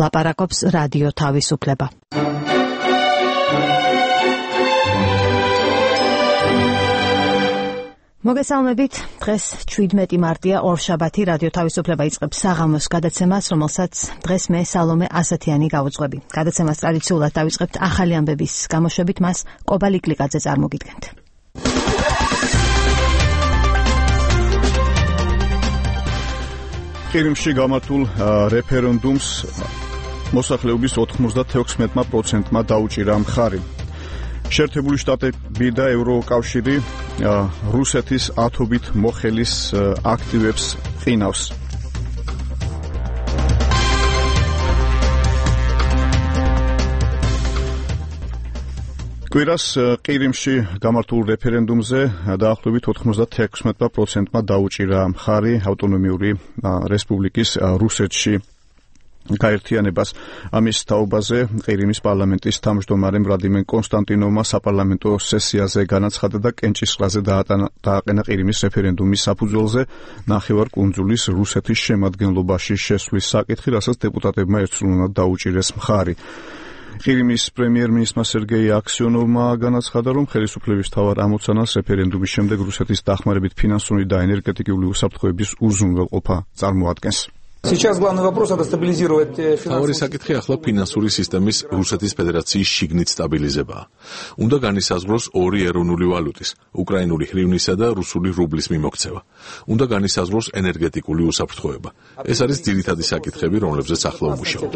ლაპარაკობს რადიო თავისუფლება. მოგესალმებით, დღეს 17 მარტია, ორშაბათი, რადიო თავისუფლება იწყებს საღამოს გადაცემას, რომელსაც დღეს მე სალომე ასათიანი გავუძღვები. გადაცემას ტრადიციულად დავიწყებთ ახალი ამბების გამოშვებით, მას კობა ლიკლიკაძე წარმოგიდგენთ. ყირიმში გამართულ რეფერენდუმს მოსახლეობის 96%-მა დაუჭირა მხარი. შეერთებული შტატები და ევროკავშირი რუსეთის ათობით მოხელის აქტივებს ყინავს. კვირას ყირიმში გამართულ რეფერენდუმზე დაახლოებით 96%-მა დაუჭირა მხარი ავტონომიური რესპუბლიკის რუსეთში გაერთიანებას. ამის თაობაზე ყირიმის პარლამენტის თავმჯდომარემ ვლადიმერ კონსტანტინოვმა საპარლამენტო სესიაზე განაცხადა და კენჭისყრაზე დააყენა ყირიმის რეფერენდუმის საფუძველზე ნახევარკუნძულის რუსეთის შემადგენლობაში შესვლის საკითხი, რასაც დეპუტატებმა ერთსრულულად დაუჭირეს მხარი. ყირიმის პრემიერ-მინისტრმა სერგეი აქსიონოვმა განაცხადა, რომ ხელისუფლების მთავარ ამოცანას რეფერენდუმის შემდეგ რუსეთის დახმარებით ფინანსური და ენერგეტიკული უსაფრთხოების უზრუნველყოფა წარმოადგენს. თავარი საკითხი ახლა ფინანსური სისტემის რუსეთის ფედერაციის შიგნით სტაბილიზებაა. უნდა განისაზღვროს ორი ეროვნული ვალუტის, უკრაინული ჰრივნისა და რუსული რუბლის მიმოქცევა. უნდა განისაზღვროს ენერგეტიკული უსაფრთხოება. ეს არის ძირითადი საკითხები, რომლებზეც ახლა ვმუშაობთ.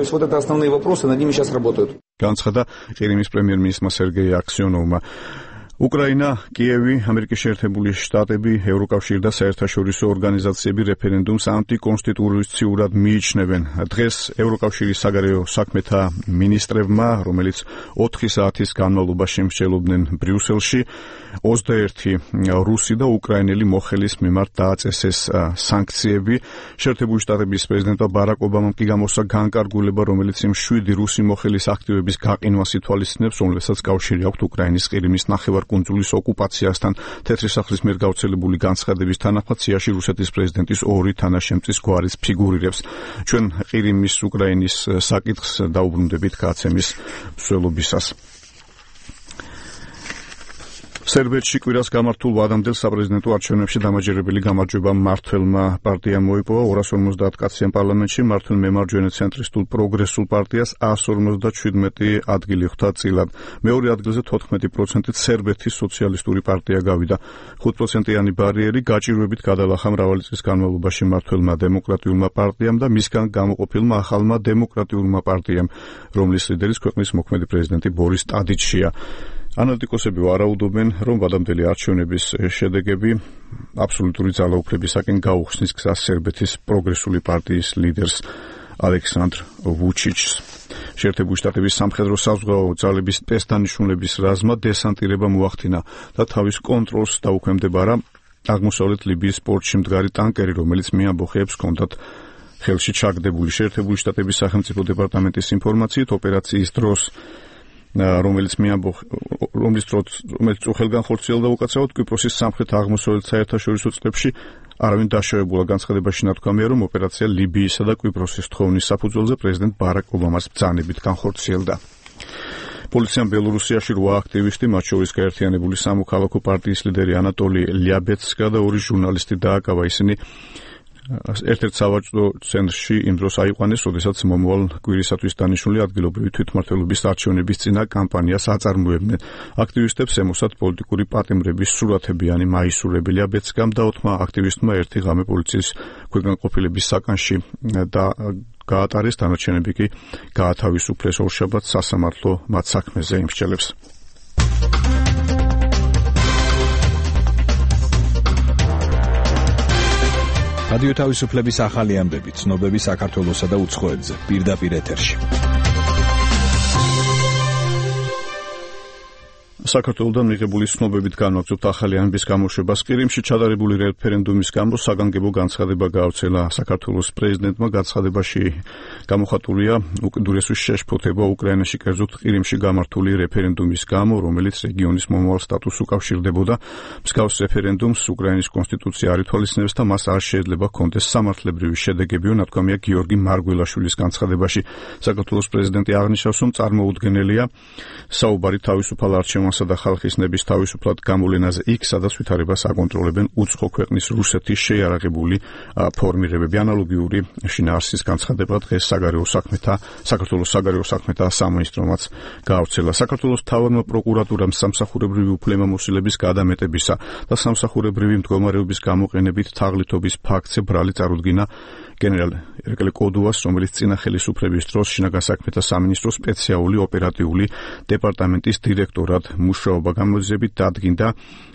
განაცხადა ყირიმის პრემიერ-მინისტრმა სერგეი აქსიონოვმა. უკრაინა, კიევი, ამერიკის შეერთებული შტატები, ევროკავშირი და საერთაშორისო ორგანიზაციები რეფერენდუმს ანტიკონსტიტუციურად მიიჩნევენ. დღეს ევროკავშირის საგარეო საქმეთა მინისტრებმა, რომელიც 4 საათის განმავლობაში მსჯელობდნენ ბრიუსელში, 21 რუსი და უკრაინელი მოხელის მიმართ დააწესეს სანქციები. შეერთებული შტატების პრეზიდენტმა ბარაკ ობამამ კი გამოსცა განკარგულება, რომელიც იმ 7 რუსი მოხელის აქტივების გაყინვას ითვალისწინებს, რომლებსაც კავშირი აქვთ უკრაინის ყირიმის ნახევარკუნძულის ოკუპაციასთან. თეთრი სახლის მიერ გავრცელებული განცხადების თანახმად სიაში რუსეთის პრეზიდენტის 2 თანაშემწის გვარის ფიგურირებს. ჩვენ ყირიმის უკრაინის საკითხს დაუბრუნდებით გაცემის მსვლელობისას. სერბეთში კვირას გამართულ ვადამდელ საპრეზიდენტო არჩევნებში დამაჯერებელი გამარჯვება მმართველმა პარტიამ მოიპოვა. 250 კაციან პარლამენტში მმართველ მემარჯვენე ცენტრისტულ პროგრესულ პარტიას 157 ადგილი ხვდა წილად. მეორე ადგილზე 14%-ით სერბეთის სოციალისტური პარტია გავიდა. 5%-იანი ბარიერი გაჭირვებით გადალახა მრავალი წლის განმავლობაში მმართველმა დემოკრატიულმა პარტიამ და მისგან გამოყოფილმა ახალმა დემოკრატიულმა პარტიამ, რომლის ლიდერის ქვეყნის მოქმედი პრეზიდენტი ბორის ტადიჩია. ანალიტიკოსები ვარაუდობენ, რომ ვადამდელი არჩევნების შედეგები აბსოლუტური ძალაუფლებისაკენ გაუხსნის გზას სერბეთის პროგრესული პარტიის ლიდერს ალექსანდრ ვუჩიჩს. შეერთებული შტატების სამხედრო საზღვაო ძალების ტესტანიშნულების რაზმმა დესანტირება მოახდინა და თავის კონტროლს დაუქვემდებარა აღმოსავლეთ ლიბიის პორტში მდგარი ტანკერი, რომელიც მეამბოხეებს ჰქონდათ ხელში ჩაგდებული. შეერთებული შტატების სახელმწიფო დეპარტამენტის ინფორმაციით ოპერაციის დროს რომელიც უხელგან ხორციელდა უკაცრავად კვიპროსის სამხრეთ-აღმოსავლეთ საერთაშორისო წყლებში არავინ დაშავებულა. განცხადებაში ნათქვამია, რომ ოპერაცია ლიბიისა და კვიპროსის თხოვნის საფუძველზე პრეზიდენტ ბარაკ ობამას ბრძანებით განხორციელდა. პოლიციამ ბელორუსიაში 8 აქტივისტი, მათ შორის გაერთიანებული სამოქალაქო პარტიის ლიდერი ანატოლი ლიაბეცკა და 2 ჟურნალისტი დააკავა. ისინი ერთ-ერთ სავაჭრო ცენტრში იმ დროს აიყვანეს, როდესაც მომავალ კვირისათვის დანიშნული ადგილობრივი თვითმმართველობის არჩევნების წინა კამპანიას აწარმოებდნენ. აქტივისტებს ემოსათ პოლიტიკური პატიმრების სურათები მაისურები. ლიაბეცკამ და 4 აქტივისტმა ერთი ღამე პოლიციის ქვეყანყოფილების საკანში და გაატარეს, დანარჩენები კი გაათავისუფლეს. ორშაბათს სასამართლო მათ საქმეზე იმსჯელებს. რადიო თავისუფლების ახალი ამბები, ცნობები საქართველოსა და უცხოეთზე, პირდაპირ ეთერში. საქართველოსთან მიღებული ცნობებით განვაგრძობთ ახალი ამბის გამოშვებას. ყირიმში ჩატარებული რეფერენდუმის გამო საგანგებო განცხადება გაავრცელა საქართველოს პრეზიდენტმა. განცხადებაში გამოხატულია უკიდურესი შეშფოთება უკრაინაში, კერძოდ ყირიმში გამართული რეფერენდუმის გამო, რომელიც რეგიონის მომავალ სტატუსს უკავშირდებოდა. მსგავს რეფერენდუმს უკრაინის კონსტიტუცია არ ითვალისწინებს და მას არ შეიძლება ჰქონდეს სამართლებრივი შედეგებიო, ნათქვამია გიორგი მარგველაშვილის განცხადებაში. საქართველოს პრეზიდენტი აღნიშნავს, რომ წარმოუდგენელია საუბარი თავისუფალ არჩევანსა და ხალხის ნების თავისუფლად გამოვლენაზე იქ, სადაც ვითარებას აკონტროლებენ უცხო ქვეყნის რუსეთის შეიარაღებული ფორმირებები. ანალოგიური შინაარსის განცხადება დღეს საქართველოს საგარეო საქმეთა სამინისტრომაც გაავრცელა. საქართველოს მთავარმა პროკურატურამ სამსახურებრივი უფლებამოსილების გადამეტებისა და სამსახურებრივი მდგომარეობის გამოყენებით თაღლითობის ფაქტზე ბრალი წარუდგინა გენერალ ერეკლე კოდუას, რომელიც წინა ხელისუფლების დროს შინაგან საქმეთა სამინისტროს სპეციალური ოპერატიული დეპარტამენტის დირექტორად მუშაობა გამოძიებით დადგინდა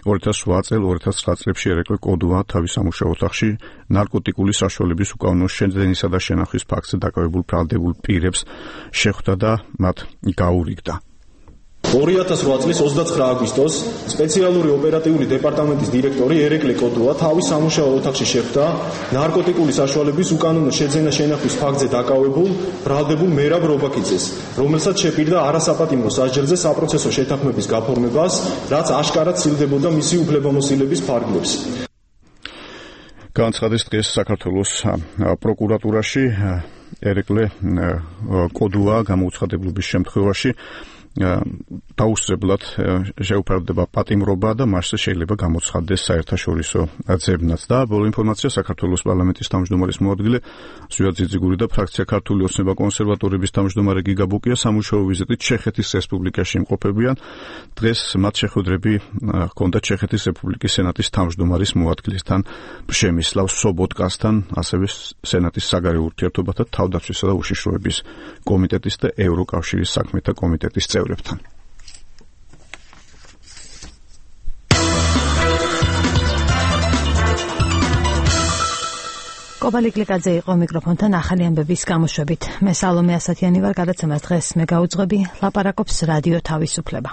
2008 წელ 2009 წლებში ერეკლე კოდუა თავის სამუშაო ოთახში ნარკოტიკული საშუალების უკანონო შეძენისა და შენახვის ფაქტზე დაკავებულ ბრალდებულ პირებს შეხვდა და მათ გაურიგდა. 2008 წლის 29 აგვისტოს სპეციალური ოპერატიული დეპარტამენტის დირექტორი ერეკლე კოდუა თავის სამუშაო ოთახში შეხვდა ნარკოტიკული საშუალების უკანონო შეძენა-შენახვის ფაქტზე დაკავებულ ბრალდებულ მერაბ რობაქიძეს, რომელსაც შეპირდა არასაპატიმრო სასჯელზე საპროცესო შეთანხმების გაფორმებას, რაც აშკარად სცილდებოდა მისი უფლებამოსილების ფარგლებს. განცხადეს დღეს საქართველოს პროკურატურაში ერეკლე კოდუა გამოუცხადებლობის შემთხვევაში დაუსწრებლად შეუფარდება პატიმრობა და მასზე შეიძლება გამოცხადდეს საერთაშორისო ძებნაც. და ბოლო ინფორმაცია საქართველოს პარლამენტის თავმჯდომარის მოადგილე ზვიად ძიძიგური და ფრაქცია ქართული ოცნება კონსერვატორების თავმჯდომარე გიგა ბუკია სამუშაო ვიზიტით ჩეხეთის რესპუბლიკაში იმყოფებიან. დღეს მათ შეხვედრები ჰქონდა ჩეხეთის რესპუბლიკის სენატის თავმჯდომარის მოადგილესთან პრემისლავ სობოტკასთან, ასევე სენატის საგარეო ურთიერთობათა თავდაცვისა და უშიშროების კომიტეტის და ევროკავშირის საქმეთა კომიტეტის წევრებთან. კობალი კლიკაძე იყო მიკროფონთან ახალი ამბების გამოშვებით. მე სალომე ასათიანი ვარ, გადაცემას დღეს მე გაუძღვები, ლაპარაკობს რადიო თავისუფლება.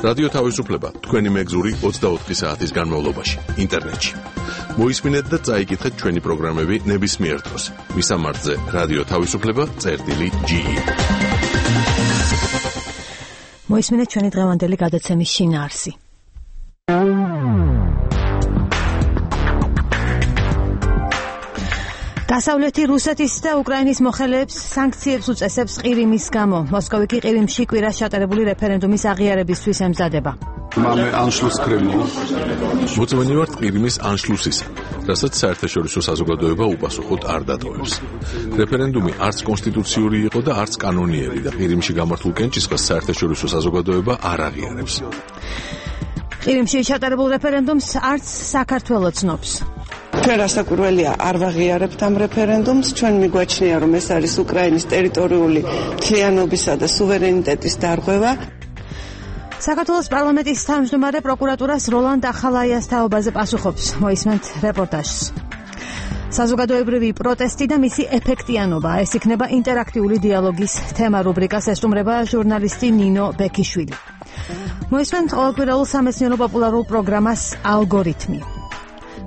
რადიო თავისუფლება თქვენი მეგზური 24 საათის განმავლობაში ინტერნეტში. მოისმინეთ და წაიკითხეთ ჩვენი პროგრამები ნებისმიერ დროს. მისამართზე რადიო თავისუფლება.ge. მოისმინეთ ჩვენი დღევანდელი გადაცემის შინაარსი. დასავლეთი რუსეთის და უკრაინის მოხელეებს სანქციებს უწესებს ყირიმის გამო. მოსკოვი კი ყირიმში კვირას ჩატარებული რეფერენდუმის აღიარებისთვის ემზადება. მოწმენი ვართ ყირიმის ანშლუსისა, რასაც საერთაშორისო საზოგადოება უპასუხოდ არ დატოვებს. რეფერენდუმი არც კონსტიტუციური იყო და არც კანონიერი და ყირიმში გამართულ კენჭისყრას საერთაშორისო საზოგადოება არ აღიარებს. ყირიმში ჩატარებულ რეფერენდუმს არც საქართველო ცნობს. ჩვენ რასაკვირველია არ ვაღიარებთ ამ რეფერენდუმს, ჩვენ მიგვაჩნია რომ ეს არის უკრაინის ტერიტორიული მთლიანობისა და სუვერენიტეტის დარღვევა. საქართველოს პარლამენტის თავმჯდომარე პროკურატურას როლანდ ახალაიას თაობაზე პასუხობს. მოისმენთ რეპორტაჟს. საზოგადოებრივი პროტესტი და მისი ეფექტიანობა. ეს იქნება ინტერაქტიული დიალოგის თემა. რუბრიკას ესტუმრება ჟურნალისტი ნინო ბექიშვილი. მოისმენთ ყოველკვირეულ სამეცნიერო პოპულარულ პროგრამას ალგორითმი.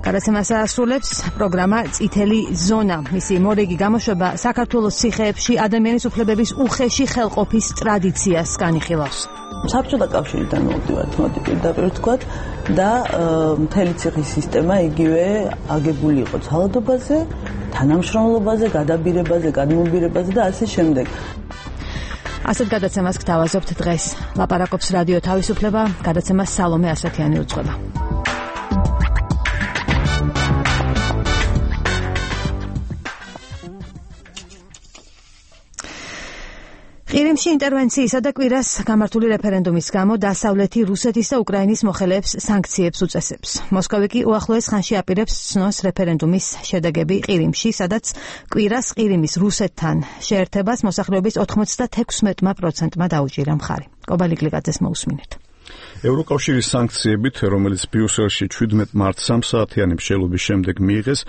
გადაცემას ასრულებს პროგრამა წითელი ზონა. მისი მორიგი გამოშვება საქართველოს ციხეებში ადამიანის უფლებების უხეში ხელყოფის ტრადიციას განიხილავს. საბჭოთა კავშირიდან მოვდივართ, მოდი პირდაპირ ვთქვათ და მთელი ციხის სისტემა იგივე აგებული იყო ძალადობაზე, თანამშრომლობაზე, გადაბირებაზე, გადმობირებაზე და ასე შემდეგ. ასეთ გადაცემას გთავაზობთ დღეს. ლაპარაკობს რადიო თავისუფლება, გადაცემას სალომე ასათიანი უძღვება. ყირიმში ინტერვენციისა და კვირას გამართული რეფერენდუმის გამო დასავლეთი რუსეთის და უკრაინის მოხელეებს სანქციებს უწესებს. მოსკოვი კი უახლოეს ხანში აპირებს ცნოს რეფერენდუმის შედეგები ყირიმში, სადაც კვირას ყირიმის რუსეთთან შეერთებას მოსახლეობის 96%-მა დაუჭირა მხარი. კობალი კლიკაძეს მოусმინეთ. ევროკავშირის სანქციებით, რომელიც ბრიუსელში 17 მარტს 3 საათიანი მსჯელობის შემდეგ მიიღეს,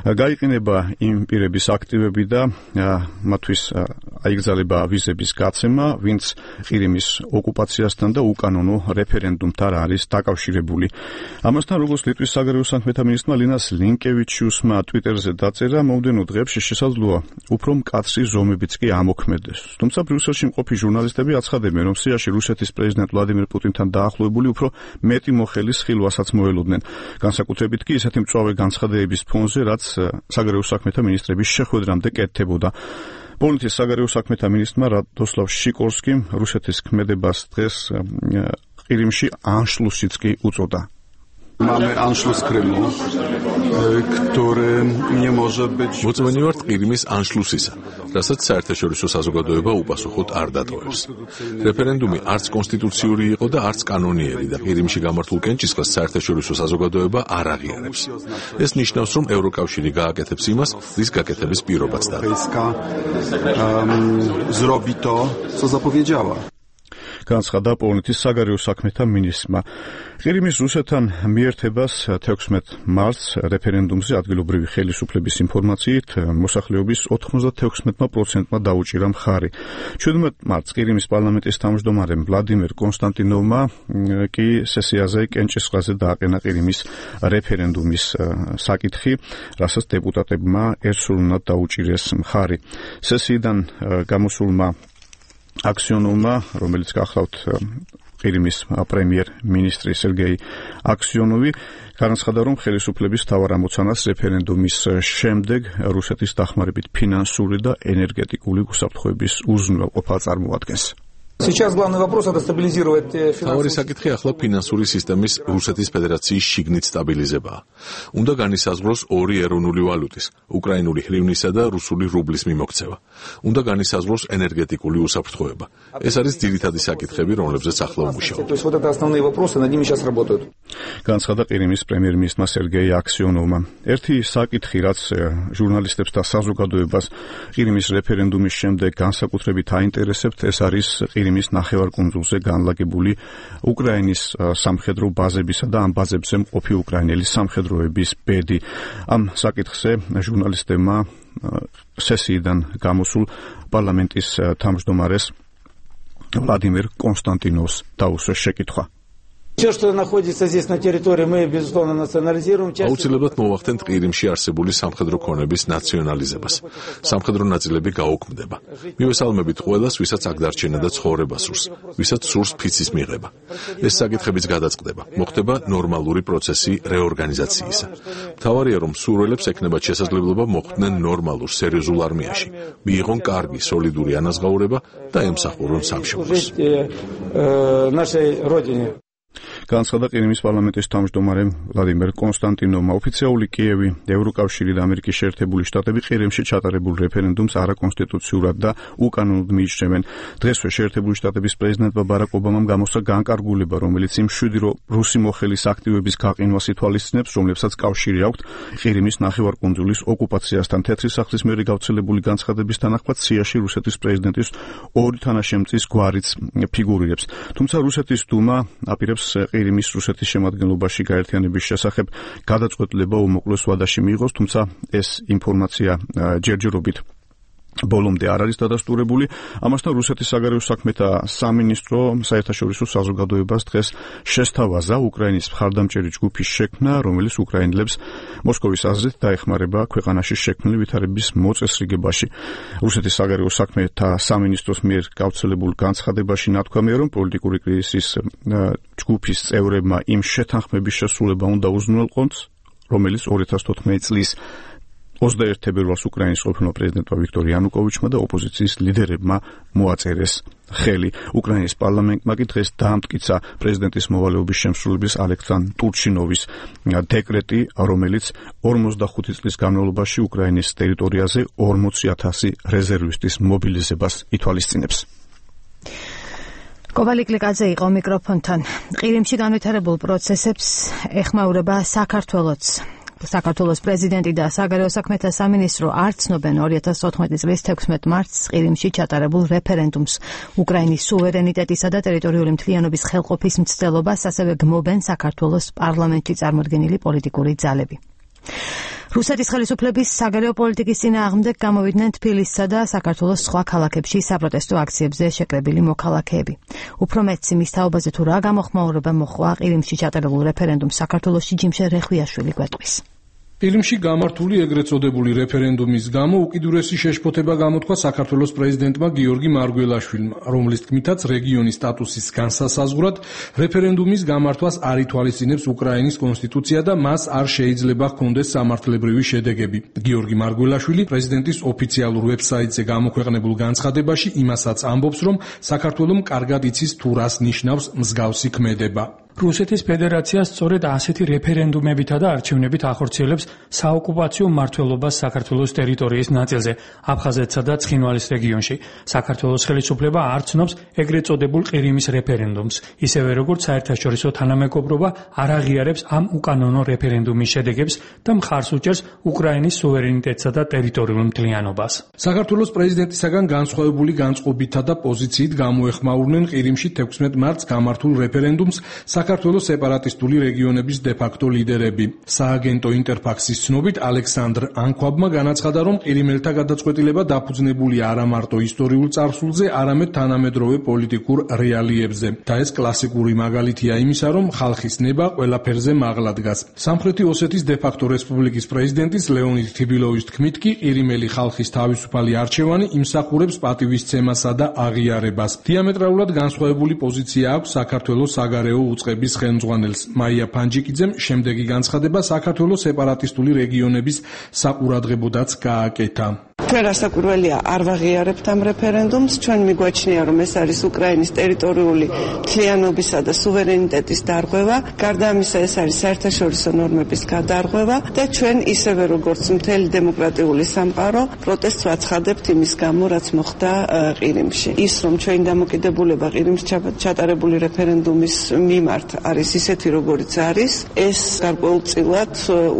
გაიყინება იმ პირების აქტივები და მათთვის აიგზავნება ვიზების გაცემა, ვინც ყირიმის ოკუპაციასთან და უკანონო რეფერენდუმთან არის დაკავშირებული. ამასთან, როგორც ლიტვის საგარეო საქმეთა მინისტრმა ლინას ლინკევიჩიუსმა ტვიტერზე დაწერა, მომდევნო დღეებში შესაძლოა უფრო მკაცრი ზომებიც კი ამოქმედდეს. თუმცა ბრიუსელში მყოფი ჟურნალისტები აცხადებენ, რომ სიაში რუსეთის პრეზიდენტ ვლადიმირ პუტინთან დაახლოებული უფრო მეტი მოხელის ხილვასაც მოელოდნენ. განსაკუთრებით კი ისეთი მწვავე განცხადებების ფონზე, რაც საგარეო საქმეთა მინისტრების შეხვედრამდე კეთდებოდა. პოლონეთის საგარეო საქმეთა მინისტრმა რადოსლავ შიკორსკიმ რუსეთის ქმედებას დღეს ყირიმში ანშლუსიც კი უწოდა. Mamy Anschluss Krymu, który nie może być... მოწმენი ვართ ყირიმის ანშლუსისა, რასაც საერთაშორისო საზოგადოება უპასუხოდ არ დატოვებს. რეფერენდუმი არც კონსტიტუციური იყო და არც კანონიერი და ყირიმში გამართულ კენჭისყრას საერთაშორისო საზოგადოება არ აღიარებს. ეს ნიშნავს, რომ ევროკავშირი გააკეთებს იმას, რის გაკეთების პირობაც დადო. Zrobi to, co zapowiedziała. განცხადა პოლონეთის საგარეო საქმეთა მინისტრმა. ყირიმის რუსეთთან მიერთებას 16 მარტს რეფერენდუმზე ადგილობრივი ხელისუფლების ინფორმაციით მოსახლეობის 96%-მა დაუჭირა მხარი. 17 მარტს ყირიმის პარლამენტის თავმჯდომარემ ვლადიმერ კონსტანტინოვმა კი სესიაზე კენჭისყრაზე დააყენა ყირიმის რეფერენდუმის საკითხი, რასაც დეპუტატებმა ერთსულურად დაუჭირეს მხარი. სესიიდან გამოსულმა აქსიონოვმა, რომელიც გახლავთ ყირიმის პრემიერ-მინისტრი სერგეი აქსიონოვი, განაცხადა, რომ ხელისუფლების მთავარ ამოცანას რეფერენდუმის შემდეგ რუსეთის დახმარებით ფინანსური და ენერგეტიკული უსაფრთხოების უზრუნველყოფა წარმოადგენს. Сейчас главный вопрос это стабилизировать თავი საკითხი ახლა ფინანსური სისტემის რუსეთის ფედერაციის შიგნით სტაბილიზებაა. უნდა განისაზღვროს ორი ეროვნული ვალუტის, უკრაინული ჰრივნისა და რუსული რუბლის მიმოქცევა. უნდა განისაზღვროს ენერგეტიკული უსაფრთხოება. ეს არის ძირითადი საკითხები, რომლებზეც ახლა უმუშაობთ. То есть вот это основные вопросы, над ними сейчас работают. განცხადა ყირიმის პრემიერ-მინისტრმა სერგეი აქსიონოვმა. ერთი საკითხი, რაც ჟურნალისტებს და საზოგადოებას ყირიმის რეფერენდუმის შემდეგ განსაკუთრებით აინტერესებთ, ეს არის ყირიმის ნახევარკუნძულზე განლაგებული უკრაინის სამხედრო ბაზებისა და ამ ბაზებზე მყოფი უკრაინელი სამხედროების ბედი. ამ საკითხზე ჟურნალისტებმა სესიიდან გამოსულ პარლამენტის თავმჯდომარეს ვლადიმერ კონსტანტინოვს დაუსვეს შეკითხვა. Все, что находится здесь на территории, мы безусловно национализируем. აუცილებლად მოვახდენთ ყირიმში არსებული სამხედრო ქონების ნაციონალიზებას. სამხედრო ნაწილები გაუქმდება. მივესალმებით ყველას, ვისაც აქ დარჩენა და ცხოვრება სურს, ვისაც სურს ფიცის მიღება. ეს საკითხებიც გადაწყდება. მოხდება ნორმალური პროცესი რეორგანიზაციისა. მთავარია, რომ სურვილებს ექნებათ შესაძლებლობა მოხვდნენ ნორმალურ, სერიოზულ არმიაში, მიიღონ კარგი, სოლიდური ანაზღაურება და ემსახურონ სამშობლოს. Нашей родине. განცხადა ყირიმის პარლამენტის თავმჯდომარემ ვლადიმერ კონსტანტინოვმა. ოფიციალური კიევი, ევროკავშირი და ამერიკის შეერთებული შტატები ყირიმში ჩატარებულ რეფერენდუმს არაკონსტიტუციურად და უკანონოდ მიიჩნევენ. დღესვე შეერთებული შტატების პრეზიდენტმა ბარაკ ობამამ გამოსცა განკარგულება, რომელიც იმ 7 რუსი მოხელის აქტივების გაყინვას ითვალისწინებს, რომლებსაც კავშირი აქვთ ყირიმის ნახევარკუნძულის ოკუპაციასთან. თეთრი სახლის მიერ გავრცელებული განცხადების თანახმად სიაში რუსეთის პრეზიდენტის ორი თანაშემწის გვარიც ფიგურირებს. თუმცა რუსეთის დუმა აპირებს ყირიმის რუსეთის შემადგენლობაში გაერთიანების შესახებ გადაწყვეტილება უმოკლეს ვადაში მიიღოს, თუმცა ეს ინფორმაცია ჯერჯერობით ბოლომდე არ არის დადასტურებული. ამასთან რუსეთის საგარეო საქმეთა სამინისტრო საერთაშორისო საზოგადოებას დღეს შესთავაზა უკრაინის მხარდამჭერი ჯგუფის შექმნა, რომელიც უკრაინელებს მოსკოვის აზრით დაეხმარება ქვეყანაში შექმნილი ვითარების მოწესრიგებაში. რუსეთის საგარეო საქმეთა სამინისტროს მიერ გავრცელებულ განცხადებაში ნათქვამია, რომ პოლიტიკური კრიზისის ჯგუფის წევრებმა იმ შეთანხმების შესრულება უნდა უზრუნველყოს, რომელიც 2014 წლის 21 თებერვალს უკრაინის ყოფილმა პრეზიდენტმა ვიქტორ იანუკოვიჩმა და ოპოზიციის ლიდერებმა მოაწერეს ხელი. უკრაინის პარლამენტმა კი დღეს დაამტკიცა პრეზიდენტის მოვალეობის შემსრულებლის ალექსანდრ ტურჩინოვის დეკრეტი, რომელიც 45 წლის განმავლობაში უკრაინის ტერიტორიაზე 40,000 რეზერვისტის მობილიზებას ითვალისწინებს. კოვალი კლიკაძე იყო მიკროფონთან. ყირიმში განვითარებულ პროცესებს ეხმაურება საქართველოც. საქართველოს პრეზიდენტი და საგარეო საქმეთა სამინისტრო არ ცნობენ 2014 წლის 16 მარტს ყირიმში ჩატარებულ რეფერენდუმს. უკრაინის სუვერენიტეტისა და ტერიტორიული მთლიანობის ხელყოფის მცდელობას ასევე გმობენ საქართველოს პარლამენტში წარმოდგენილი პოლიტიკური ძალები. რუსეთის ხელისუფლების საგარეო პოლიტიკის წინააღმდეგ გამოვიდნენ თბილისსა და საქართველოს სხვა ქალაქებში საპროტესტო აქციებზე შეკრებილი მოქალაქეები. უფრო მეტს იმის თაობაზე თუ რა გამოხმაურება მოხდა ყირიმში ჩატარებულ რეფერენდუმს საქართველოში ჯიმშე რეხვიაშვილი გვეტყვის. ყირიმში გამართული ეგრეთ წოდებული რეფერენდუმის გამო უკიდურესი შეშფოთება გამოთქვა საქართველოს პრეზიდენტმა გიორგი მარგველაშვილმა, რომლის თქმითაც რეგიონის სტატუსის განსასაზღვრად რეფერენდუმის გამართვას არ ითვალისწინებს უკრაინის კონსტიტუცია და მას არ შეიძლება ჰქონდეს სამართლებრივი შედეგები. გიორგი მარგველაშვილი პრეზიდენტის ოფიციალურ ვებსაიტზე გამოქვეყნებულ განცხადებაში იმასაც ამბობს, რომ საქართველოს კარგად იცის თუ რას ნიშნავს მსგავსი ქმედება. რუსეთის ფედერაცია სწორედ ასეთი რეფერენდუმებითა და არჩევნებით ახორციელებს საოკუპაციო მმართველობას საქართველოს ტერიტორიის ნაწილზე, აფხაზეთსა და ცხინვალის რეგიონში. საქართველოს ხელისუფლება არ ცნობს ეგრეთ წოდებულ ყირიმის რეფერენდუმს, ისევე როგორც საერთაშორისო თანამეგობრობა არ აღიარებს ამ უკანონო რეფერენდუმის შედეგებს და მხარს უჭერს უკრაინის სუვერენიტეტსა და ტერიტორიულ მთლიანობას. საქართველოს პრეზიდენტისაგან განსხვავებული განწყობითა და პოზიციით გამოეხმაურნენ ყირიმში 16 მარტს გამართულ რეფერენდუმს საქართველოს სეპარატისტული რეგიონების დე-ფაქტო ლიდერები. სააგენტო ინტერფაქსის ცნობით ალექსანდრ ანქვაბმა განაცხადა, რომ ყირიმელთა გადაწყვეტილება დაფუძნებულია არა მარტო ისტორიულ წარსულზე, არამედ თანამედროვე პოლიტიკურ რეალიებზე. და ეს კლასიკური მაგალითია იმისა, რომ ხალხის ნება ყველაფერზე მაღლა დგას. სამხრეთი ოსეთის დე-ფაქტო რესპუბლიკის პრეზიდენტის ლეონიდ თიბილოვის თქმით კი ყირიმელი ხალხის თავისუფალი არჩევანი იმსახურებს პატივისცემასა და აღიარებას. დიამეტრალურად განსხვავებული პოზიცია აქვს საქართველოს საგარეო უწყების ხელმძღვანელს მაია ფანჯიკიძემ შემდეგი განცხადება საქართველოს სეპარატისტული რეგიონების საყურადღებოდაც გააკეთა. ჩვენ რასაკვირველია არ ვაღიარებთ ამ რეფერენდუმს, ჩვენ მიგვაჩნია რომ ეს არის უკრაინის ტერიტორიული მთლიანობისა და სუვერენიტეტის დარღვევა, გარდა ამისა ეს არის საერთაშორისო ნორმების გადარღვევა და ჩვენ ისევე როგორც მთელი დემოკრატიული სამყარო პროტესტს ვაცხადებთ იმის გამო, რაც მოხდა ყირიმში. ის რომ ჩვენი დამოკიდებულება ყირიმში ჩატარებული რეფერენდუმის მიმართ არის ისეთი როგორიც არის, ეს გარკვეულწილად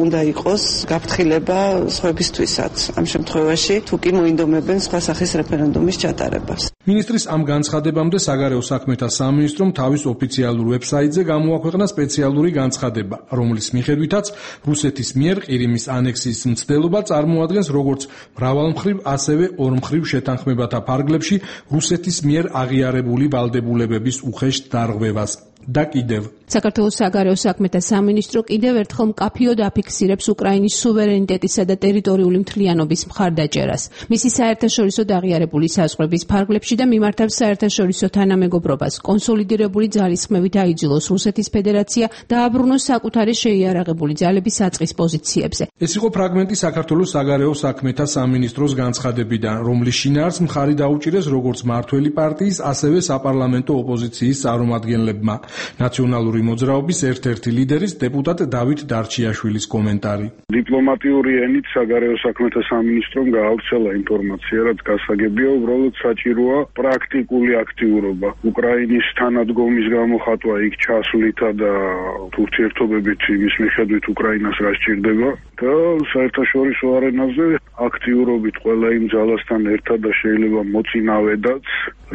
უნდა იყოს გაფრთხილება სხვებისთვისაც. ამ შემთხვევაში თუ კი მოინდომებენ სხვა სახის რეფერენდუმის ჩატარებას. მინისტრის ამ განცხადებამდე საგარეო საქმეთა სამინისტრომ თავის ოფიციალურ ვებსაიტზე გამოაქვეყნა სპეციალური განცხადება, რომლის მიხედვითაც რუსეთის მიერ ყირიმის ანექსიის მცდელობა წარმოადგენს როგორც მრავალმხრივ, ასევე ორმხრივ შეთანხმებათა ფარგლებში რუსეთის მიერ აღიარებული ვალდებულებების უხეშ დარღვევას. და კიდევ საქართველოს საგარეო საქმეთა სამინისტრო კიდევ ერთხელ მკაფიოდ აფიქსირებს უკრაინის სუვერენიტეტისა და ტერიტორიული მთლიანობის მხარდაჭერას, მისი საერთაშორისო აღიარებული საზღვრების ფარგლებში და მიმართავს საერთაშორისო თანამეგობრობას, კონსოლიდირებული ძალისხმევით აიძულოს რუსეთის ფედერაცია დააბრუნოს საკუთარი შეიარაღებული ძალების საწყის პოზიციებზე. ეს იყო ფრაგმენტი საქართველოს საგარეო საქმეთა სამინისტროს განცხადებიდან, რომლის შინაარსს მხარი დაუჭირეს როგორც მართველი პარტიის, ასევე საპარლამენტო ოპოზიციის წარმომადგენლებმა. ნაციონალური მოძრაობის ერთ-ერთი ლიდერის დეპუტატ დავით დარჩიაშვილის კომენტარი. დიპლომატიური ენით საგარეო საქმეთა სამინისტრომ გაავრცელა ინფორმაცია, რაც გასაგებია, უბრალოდ საჭიროა პრაქტიკული აქტიურობა. უკრაინის თანადგომის გამოხატვა იქ ჩასვლითა და ურთიერთობებით იმის მიხედვით უკრაინას რა სჭირდება და საერთაშორისო არენაზე აქტიურობით ყველა იმ ძალასთან ერთად და შეიძლება მოწინავედაც,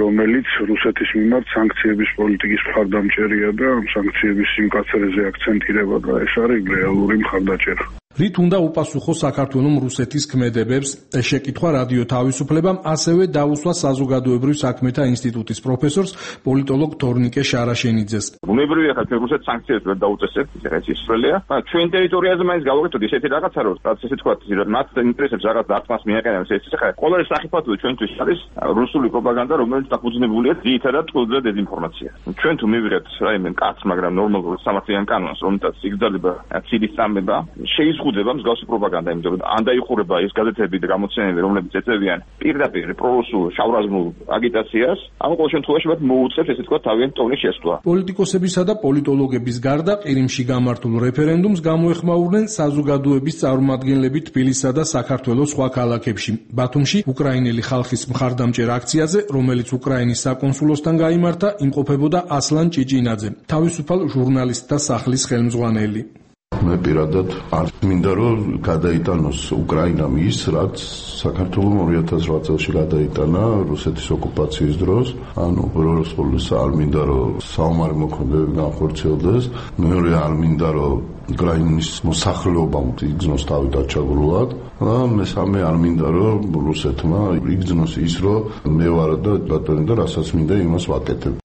რომელიც რუსეთის მიმართ სანქციების პოლიტიკის მხარდამჭერია და ამ სანქციების სიმკაცრეზე აქცენტირება და ეს არის რეალური მხარდაჭერა. რით უნდა უპასუხო საქართველოს რუსეთის ქმედებებს? ეს შეკითხვა რადიო თავისუფლებამ ასევე დაუსვა საზოგადოებრივ საქმეთა ინსტიტუტის პროფესორს პოლიტოლოგ თორნიკე შარაშენიძეს. ბუნებრივია ხა ჩვენ რუსეთს სანქციებს ვერ დაუწესებთ, ეს ისრველია. ჩვენ ტერიტორიაზე მაინც გავაკეთოთ ისეთი რაღაცა, რომ რაც ესე თქვა, მათ ინტერესებს რაღაც დარტყმას მიაყენებს. ეს ხა ყოველი სახიფათო ჩვენთვის არის რუსული პროპაგანდა, რომელიც დაფუძნებულია ძირითადად წყვილზე და დეзинფორმაციაზე. ჩვენ თუ მივიღეთ რაიმე კაც, მაგრამ ნორმალურ სამართლიან კანონს, რომელთაც იგრძელება ციდის სამება, შეიზღუდება მსგავსი პროპაგანდა, იმიტომ რომ ან დაიხურება ეს გაზეთები და გამოცემები, რომლებიც ეწევიან პირდაპირ პრორუსულ შავრაზმულ აგიტაციას, ამ ყოველ შემთხვევაში მათ მოუწევს ესე თქვა თავიანთი ტონის შესწვლა. პოლიტიკოსებისა და პოლიტოლოგების გარდა ყირიმში გამართულ რეფერენდუმს გამოეხმაურნენ საზოგადოების წარმომადგენლები თბილისსა და საქართველოს სხვა ქალაქებში. ბათუმში უკრაინელი ხალხის მხარდამჭერ აქციაზე, რომელიც უკრაინის საკონსულოსთან გაიმართა, იმყოფებოდა ასლან ჭიჭინაძე, თავისუფალ ჟურნალისტთა სახლის ხელმძღვანელი. მე პირადად არ მინდა რომ გადაიტანოს უკრაინამ ის, რაც საქართველომ 2008 წელს გადაიტანა რუსეთის ოკუპაციის დროს. ანუ პირველ რიგში არ მინდა რომ საომარი მოქმედებები განხორციელდეს, მეორე არ მინდა რომ უკრაინის მოსახლეობამ იგრძნოს თავი დაჩაგრულად და მესამე არ მინდა რომ რუსეთმა იგრძნოს ის რომ მე ვარ და ბატონი და რასაც მინდა იმას ვაკეთებ.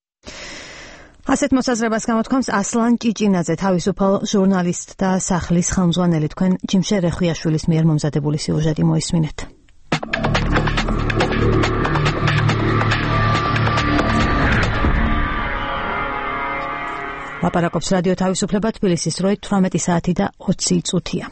ასეთ მოსაზრებას გამოთქვამს ასლან ჭიჭინაძე, თავისუფალ ჟურნალისტ და სახლის ხელმძღვანელი. თქვენ ჯიმშე რეხვიაშვილის მიერ მომზადებული სიუჟეტი მოისმინეთ. ლაპარაკობს რადიო თავისუფლება, თბილისის დროით 18 საათი და 20 წუთია.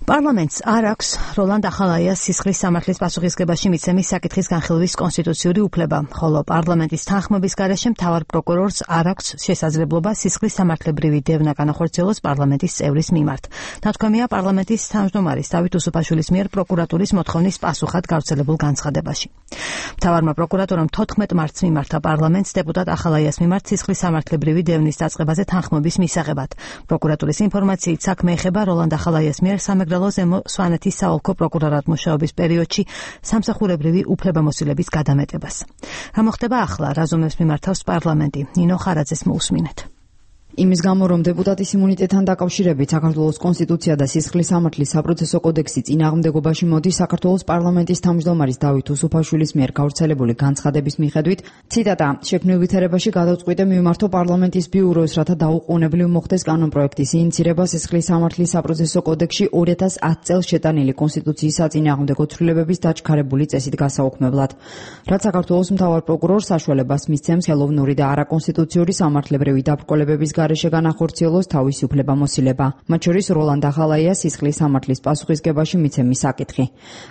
პარლამენტს არ აქვს როლანდ ახალაიას სისხლის სამართლის პასუხისგებაში მიცემის საკითხის განხილვის კონსტიტუციური უფლება, ხოლო პარლამენტის თანხმობის გარეშე მთავარ პროკურორს არ აქვს შესაძლებლობა სისხლის სამართლებრივი დევნა განახორციელოს პარლამენტის წევრის მიმართ. ნათქვამია პარლამენტის თავმჯდომარის დავით უსუფაშვილის მიერ პროკურატურის მოთხოვნის პასუხად გავრცელებულ განცხადებაში. მთავარმა პროკურატურამ 14 მარტს მიმართა პარლამენტს დეპუტატ ახალაიას მიმართ სისხლის სამართლებრივი დევნის დაწყებაზე თანხმობის მისაღებად. პროკურატურის ინფორმაციით საქმე ეხება როლანდ ახალაიას მიერ სამეგრელო ზემო სვანეთის საოლქო პროკურორად მუშაობის პერიოდში სამსახურებრივი უფლებამოსილების გადამეტებას. რა მოხდება ახლა, რაზომებს მიმართავს პარლამენტი? ნინო ხარაძეს მოусმინეთ. იმის გამო, რომ დეპუტატის იმუნიტეტთან დაკავშირებით საქართველოს კონსტიტუცია და სისხლის სამართლის საპროცესო კოდექსი წინააღმდეგობაში მოდის საქართველოს პარლამენტის თავმჯდომარის დავით უსუფაშვილის მიერ გავრცელებული განცხადების მიხედვით, ციტატა, შექმნილ ვითარებაში გადავწყვიტე მივმართო პარლამენტის ბიუროს, რათა დაუყოვნებლივ მოხდეს კანონპროექტის ინიცირება სისხლის სამართლის საპროცესო კოდექსში 2010 წელს შეტანილი კონსტიტუციის საწინააღმდეგო ცვლილებების დაჩქარებული წესით გასაუქმებლად. რაც საქართველოს მთავარ პროკურორს საშუალებას მისცემს ხელოვნური და არაკონსტიტუციური სამართლებრივი დაბრკოლებების გარეშე განახორციელოს თავისი უფლებამოსილება, მათ შორის როლანდ ახალაიას სისხლის სამართლის პასუხისგებაში მიცემის საკითხი.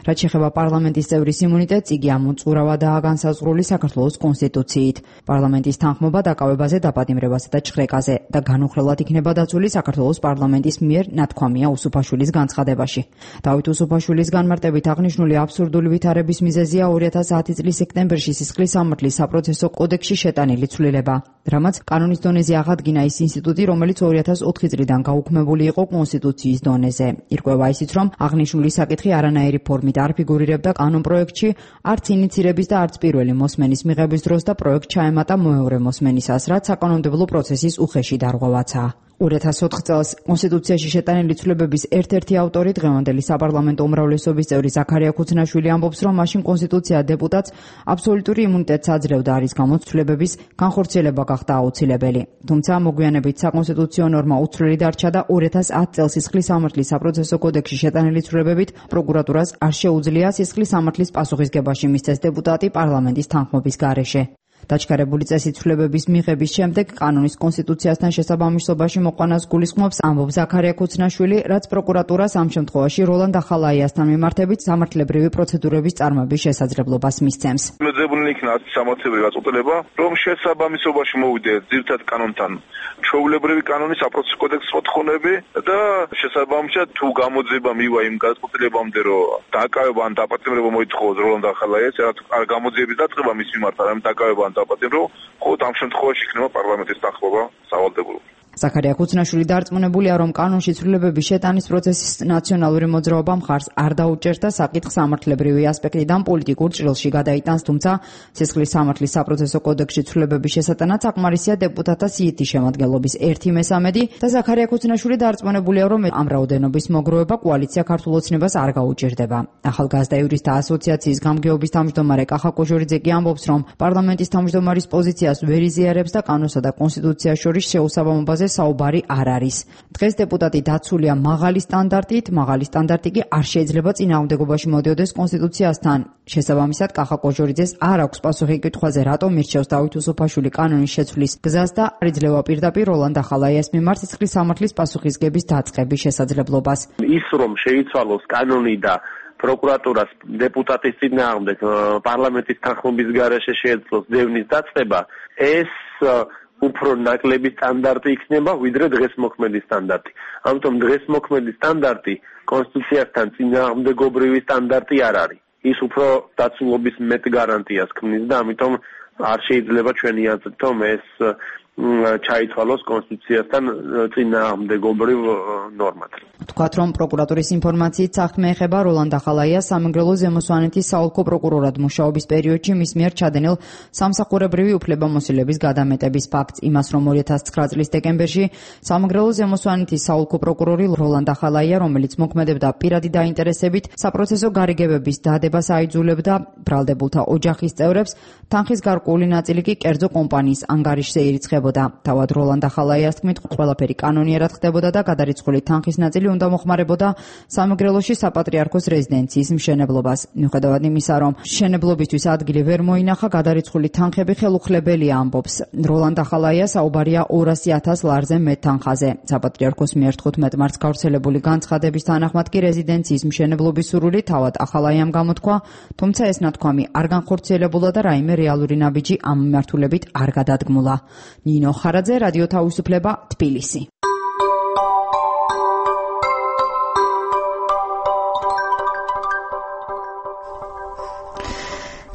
რაც შეეხება პარლამენტის წევრის იმუნიტეტს, იგი ამოწურავადაა განსაზღვრული საქართველოს კონსტიტუციით. პარლამენტის თანხმობა დაკავებაზე, დაპატიმრებაზე და ჩხრეკაზე და განუხრელად იქნება დაცული საქართველოს პარლამენტის მიერ, ნათქვამია უსუფაშვილის განცხადებაში. დავით უსუფაშვილის განმარტებით აღნიშნული აბსურდული ვითარების მიზეზია 2010 წლის სექტემბერში სისხლის სამართლის საპროცესო კოდექსში შეტანილი ცვლილება, რამაც კანონის დონეზე აღადგინა ის ინსტიტუტი, რომელიც 2004 წლიდან გაუქმებული იყო კონსტიტუციის დონეზე. ირკვევა ისიც, რომ აღნიშნული საკითხი არანაირი ფორმით არ ფიგურირებდა კანონპროექტში, არც ინიცირების და არც პირველი მოსმენის მიღების დროს და პროექტ ჩაემატა მეორე მოსმენისას, რაც საკანონმდებლო პროცესის უხეში დარღვევაცაა. 2004 წელს კონსტიტუციაში შეტანილი ცვლილებების ერთ-ერთი ავტორი, დღევანდელი საპარლამენტო უმრავლესობის წევრი ზაქარია ქუცნაშვილი ამბობს, რომ მაშინ კონსტიტუცია დეპუტატს აბსოლუტური იმუნიტეტს აძლევდა, რის გამოც ცვლილებების განხორციელება გახდა აუცილებელი. თუმცა მოგვიანებით საკონსტიტუციო ნორმა უცვლელი დარჩა და 2010 წელს სისხლის სამართლის საპროცესო კოდექსში შეტანილი ცვლილებებით პროკურატურას არ შეუძლია სისხლის სამართლის პასუხისგებაში მისცეს დეპუტატი პარლამენტის თანხმობის გარეშე. დაჩქარებული წესით ცვლილებების მიღების შემდეგ კანონის კონსტიტუციასთან შესაბამისობაში მოყვანას გულისხმობს, ამბობს ზაქარია ქუცნაშვილი, რაც პროკურატურას ამ შემთხვევაში როლანდ ახალაიასთან მიმართებით სამართლებრივი პროცედურების წარმოების შესაძლებლობას მისცემს. მოძებნილი იქნა სამართლებრივი გაწყვეტილება, რომ შესაბამისობაში მოვიდე ძირითად კანონთან ჩვეულებრივი კანონის საპროცესო კოდექსის მოთხოვნები და შესაბამისად თუ გამოძება მივა იმ გაწყვეტილებამდე, რომ დაკავება ან დაპატიმრება მოითხოვოს როლანდ ახალაიას, რაც არ გამოძიების დაწყება მის მიმართ, არამედ დაკავება დაპატიმრო, ხოლო ამ შემთხვევაში იქნება პარლამენტის თანხმობა სავალდებულო. ზაქარია ქუცნაშვილი დარწმუნებულია, რომ კანონში ცვლილებების შეტანის პროცესის ნაციონალური მოძრაობა მხარს არ დაუჭერს და საკითხს სამართლებრივი ასპექტიდან პოლიტიკურ ჭრილში გადაიტანს, თუმცა სისხლის სამართლის საპროცესო კოდექსში ცვლილებების შესატანად საკმარისია დეპუტატთა სიითი შემადგენლობის 1/3 და ზაქარია ქუცნაშვილი დარწმუნებულია, რომ ამ რაოდენობის მოგროვება კოალიცია ქართულ ოცნებას არ გაუჭირდება. ახალგაზრდა იურისტთა ასოციაციის გამგეობის თავმჯდომარე კახა კოჟორიძე კი ამბობს, რომ პარლამენტის თავმჯდომარის პოზიციას ვერ იზიარებს და კანონსა და კონსტიტუციას შორის შეუსაბამობაზე საუბარი არ არის. დღეს დეპუტატი დაცულია მაღალი სტანდარტით, მაღალი სტანდარტი კი არ შეიძლება წინააღმდეგობაში მოდიოდეს კონსტიტუციასთან. შესაბამისად, კახა კოჟორიძეს არ აქვს პასუხი კითხვაზე, რატომ მირჩევს დავით უსუფაშვილი კანონის შეცვლის გზას და არ იძლევა პირდაპირ როლანდ ახალაიას მიმართ სისხლის სამართლის პასუხისგების დაწყების შესაძლებლობას. ის რომ შეიცვალოს კანონი და პროკურატურას დეპუტატის წინააღმდეგ პარლამენტის თანხმობის გარეშე შეეძლოს დევნის დაწყება, ეს უფრო ნაკლები სტანდარტი იქნება, ვიდრე დღეს მოქმედი სტანდარტი. ამიტომ დღეს მოქმედი სტანდარტი კონსტიტუციასთან წინააღმდეგობრივი სტანდარტი არ არის. ის უფრო დაცულობის მეტ გარანტიას ქმნის და ამიტომ არ შეიძლება ჩვენი აზრით, რომ ეს ჩაითვალოს კონსტიტუციასთან წინააღმდეგობრივ ნორმად. თქვათ, რომ პროკურატურის ინფორმაციით საქმე ეხება როლან დახალაიას სამეგრელო ზემო სვანეთის საოლქო პროკურორად მუშაობის პერიოდში მის მიერ ჩადენილ სამსახურებრივი უფლებამოსილების გადამეტების ფაქტს. იმას, რომ 2009 წლის დეკემბერში სამეგრელო ზემო სვანეთის საოლქო პროკურორი როლან დახალაია, რომელიც მოქმედებდა პირადი დაინტერესებით, საპროცესო გარიგებების დადებას აიძულებდა ბრალდებულთა ოჯახის წევრებს, თანხის გარკვეული ნაწილი კი კერძო კომპანიის ანგარიშზე ირიცხებოდა. თავად როლან დახალაიას თქმით, ყველაფერი კანონიერად ხდებოდა და გადარიცხული თანხის ნაწილი უნდა მოხმარებოდა სამეგრელოში საპატრიარქოს რეზიდენციის მშენებლობას. მიუხედავად იმისა, რომ მშენებლობისთვის ადგილი ვერ მოინახა, გადარიცხული თანხები ხელუხლებელია, ამბობს როლან დახალაია. საუბარია 200,000 ლარზე მეტთანხაზე. საპატრიარქოს მიერ 15 მარტს გავრცელებული განცხადების თანახმად კი რეზიდენციის მშენებლობის სურვილი თავად ახალაიამ გამოთქვა, თუმცა ეს ნათქვამი არ განხორციელებულა და რაიმე რეალური ნაბიჯი ამ მიმართულებით არ გადადგმულა. ნინო ხარაძე, რადიო თავისუფლება, თბილისი.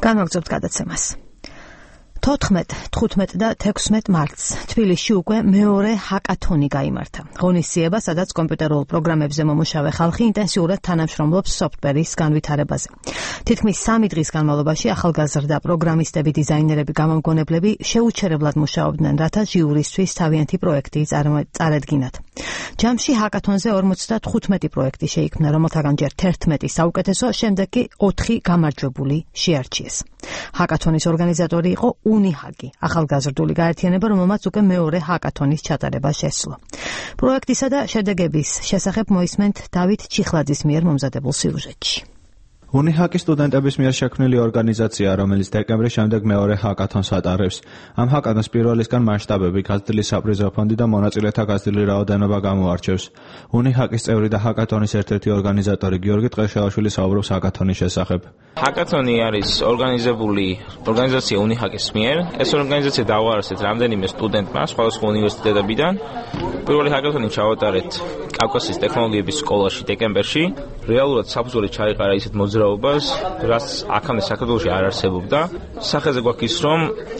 განვაგრძობთ გადაცემას. 14, 15 და 16 მარტს თბილისში უკვე მეორე ჰაკათონი გაიმართა. ღონისძიება, სადაც კომპიუტერულ პროგრამებზე მომუშავე ხალხი ინტენსიურად თანამშრომლობს სოფტვერის განვითარებაზე. თითქმის 3 დღის განმავლობაში ახალგაზრდა პროგრამისტები, დიზაინერები, გამომგონებლები შეუჩერებლად მუშაობდნენ, რათა ჟიურისთვის თავიანთი პროექტი წარედგინათ. ჯამში ჰაკათონზე 55 პროექტი შეიქმნა, რომელთაგან ჯერ 11 საუკეთესო, შემდეგ კი 4 გამარჯვებული შეარჩიეს. ჰაკათონის ორგანიზატორი იყო უნიჰაკი, ახალგაზრდული გაერთიანება, რომელმაც უკვე მეორე ჰაკათონის ჩატარება შესძლო. პროექტისა და შედეგების შესახებ მოისმენთ დავით ჩიხლაძის მიერ მომზადებულ სიუჟეტში. უნიჰაკი სტუდენტების მიერ შექმნილი ორგანიზაცია, რომელიც დეკემბრის შემდეგ მეორე ჰაკათონს ატარებს. ამ ჰაკათონს პირველისგან მასშტაბები, გაზრდილი საპრიზო ფონდი და მონაწილეთა გაზრდილი რაოდენობა გამოარჩევს. უნიჰაკის წევრი და ჰაკათონის ერთ-ერთი ორგანიზატორი გიორგი ტყეშელაშვილი საუბრობს ჰაკათონის შესახებ. ჰაკათონი არის ორგანიზებული ორგანიზაცია უნიჰაკის მიერ. ეს ორგანიზაცია დაუარესეთ რამდენიმე სტუდენტმა სხვადასხვა უნივერსიტეტებიდან. პირველი ჰაკათონი ჩავატარეთ კავკასიის ტექნოლოგიების სკოლაში დეკემბერში. რეალურად საფუძველი ჩაიყარა ისეთ მოძრაობას, რაც აქამდე საქართველოში არ არსებობდა. სახეზე გვაქვს ის, რომ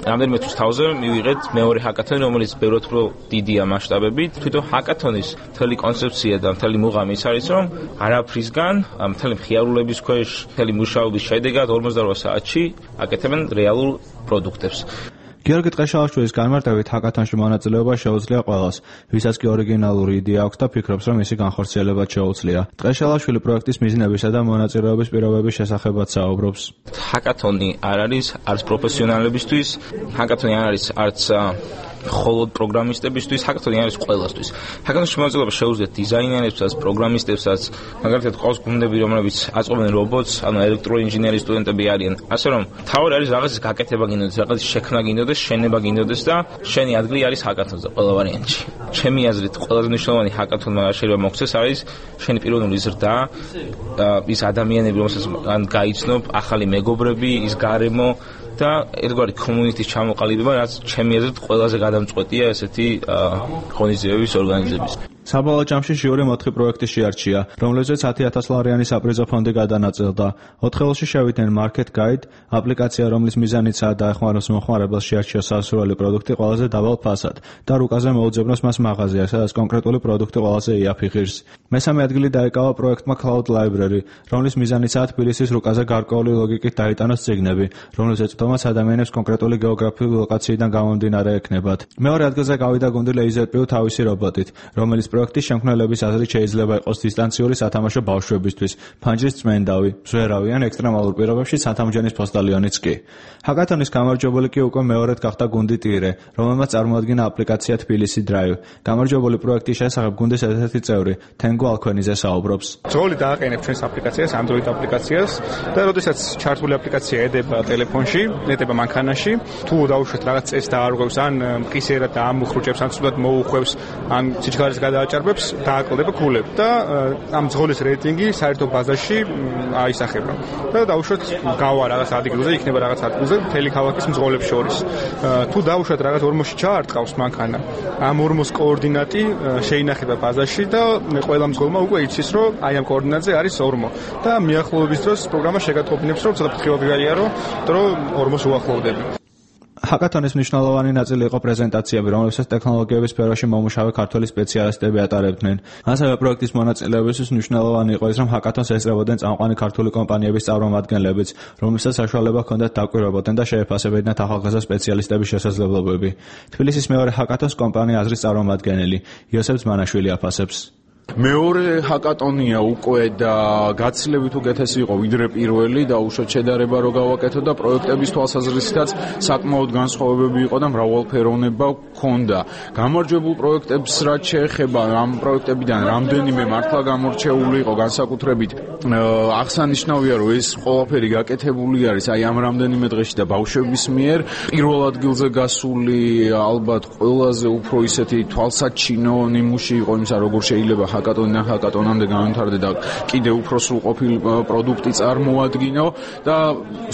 რამდენიმე თვის თავზე მივიღეთ მეორე ჰაკათონი, რომელიც ბევრად უფრო დიდია მასშტაბებით. თვითონ ჰაკათონის მთელი კონცეფცია და მთელი მუღამი ის არის, რომ არაფრისგან, მთელი მხიარულების ქვეშ, მთელი მუშაობის შედეგად 48 საათში აკეთებენ რეალურ პროდუქტებს. გიორგი ტყეშელაშვილის განმარტებით ჰაკათონში მონაწილეობა შეუძლია ყველას, ვისაც კი ორიგინალური იდეა აქვს და ფიქრობს, რომ მისი განხორციელება შეუძლია. ტყეშელაშვილი პროექტის მიზნებისა და მონაწილეობის პირობების შესახებაც საუბრობს. ჰაკათონი არ არის არც პროფესიონალებისთვის, ჰაკათონი არ არის არც მხოლოდ პროგრამისტებისთვის, ჰაკათონი არის ყველასთვის. ჰაკათონში მონაწილეობა შეუძლიათ დიზაინერებსაც, პროგრამისტებსაც, მაგალითად ყავს გუნდები, რომლებიც აწყობენ რობოტს, ანუ ელექტროინჟინერის სტუდენტები არიან. ასე რომ, თავი არის რაღაცის გაკეთება გინდოდეს, რაღაცის შექმნა გინდოდეს, შენება გინდოდეს და შენი ადგილი არის ჰაკათონზე ყველა ვარიანტში. ჩემი აზრით, ყველაზე მნიშვნელოვანი ჰაკათონმა შეიძლება მოხდეს არის შენი პიროვნული ზრდა, ის ადამიანები, რომელსაც გაიცნობ, ახალი მეგობრები, ის გარემო და ერთგვარი კომუნიკის ჩამოყალიბება, რაც ჩემი აზრით ყველაზე გადამწყვეტია ესეთი ღონისძიებების ორგანიზების. საბოლოო ჯამში ჟიური 4 პროექტი შეარჩია, რომლებზეც 10,000 ლარიანი საპრიზო ფონდი გადანაწილდა. 4-ელში შევიდნენ Market Guide, აპლიკაცია, რომლის მიზანიცაა დაეხმაროს მომხმარებელს შეარჩიოს სასურველი პროდუქტი ყველაზე დაბალ ფასად და რუკაზე მოუძებნოს მას მაღაზია, სადაც კონკრეტული პროდუქტი ყველაზე იაფი ღირს. მესამე ადგილი დაიკავა პროექტმა Cloud Library, რომლის მიზანიცაა თბილისის რუკაზე გარკვეული ლოგიკით დაიტანოს წიგნები, რომლებზეც თომას ადამიანებს კონკრეტული გეოგრაფიული ლოკაციიდან გამომდინარე ექნებათ. მეორე ადგილზე გავიდა გუნდი LaserPew თავისი რობოტით, რომელიც პროექტის შემქმნელების აზრით შეიძლება იყოს დისტანციური სათამაშო ბავშვებისთვის, ფანჯრის წმენდავი, მზვერავი ან ექსტრემალურ პირობებში სათამჯენის ფოსტალიონიც კი. ჰაკათონის გამარჯვებული კი უკვე მეორედ გახდა გუნდი ტირე, რომელმაც წარმოადგინა აპლიკაცია თბილისი Drive. გამარჯვებული პროექტის შესახებ გუნდის ერთ-ერთი წევრი, თენგო ალქვენიძე საუბრობს. ძღოლი დააყენებ ჩვენს აპლიკაციას, Android აპლიკაციას და როდესაც ჩართული აპლიკაცია ედება ტელეფონში, ედება მანქანაში, თუ დაუშვათ რაღაც წესს დაარღვევს, ან მყისიერად დაამუხრუჭებს, ან ცუდად მოუხვევს, ან სიჩქარის გადააჭარბებს, დააკლდება ქულები და ამ ძღოლის რეიტინგი საერთო ბაზაში აისახება. და დაუშვათ გავა რაღაც ადგილზე, იქნება რაღაც ადგილზე მთელი ქალაქის მძღოლებს შორის. თუ დაუშვათ რაღაც ორმოში ჩაარტყავს მანქანა, ამ ორმოს კოორდინატი შეინახება ბაზაში და ყველა მძღოლმა უკვე იცის, რომ აი ამ კოორდინატზე არის ორმო. და მიახლოების დროს პროგრამა შეგატყობინებს, რომ ცოტა ფრთხილად გაიარო, რომ ორმოს უახლოვდები. ჰაკათონის მნიშვნელოვანი ნაწილი იყო პრეზენტაციები, რომლებსაც ტექნოლოგიების სფეროში მომუშავე ქართველი სპეციალისტები ატარებდნენ. ასევე პროექტის მონაწილეებისთვის მნიშვნელოვანი იყო ის, რომ ჰაკათონს ესწრებოდნენ წამყვანი ქართული კომპანიების წარმომადგენლებიც, რომლებსაც საშუალება ჰქონდათ დაკვირვებოდნენ და შეეფასებოდნენ ახალგაზრდა სპეციალისტების შესაძლებლობები. თბილისის მეორე ჰაკათონს კომპანია აზრის წარმომადგენელი იოსებ ძმანაშვილი აფასებს. მეორე ჰაკატონია უკვე და გაცილებით უკეთესი იყო ვიდრე პირველი და უშუალოდ შედარება რო გავაკეთო და პროექტების თვალსაზრისითაც საკმაოდ განსხვავებები იყო და მრავალფეროვნება ჰქონდა. გამარჯვებულ პროექტებს რაც შეეხება ამ პროექტებიდან რამდენიმე მართლა გამორჩეული იყო განსაკუთრებით აღსანიშნავია რომ ეს ყველაფერი გაკეთებული არის აი ამ რამდენიმე დღეში და ბავშვების მიერ პირველ ადგილზე გასული ალბათ ყველაზე უფრო ისეთი თვალსაჩინო ნიმუში იყო იმისა როგორ შეიძლება ჰაკატონამდე განვითარდა და კიდე უფრო სრულყოფილი პროდუქტი წარმოადგინო და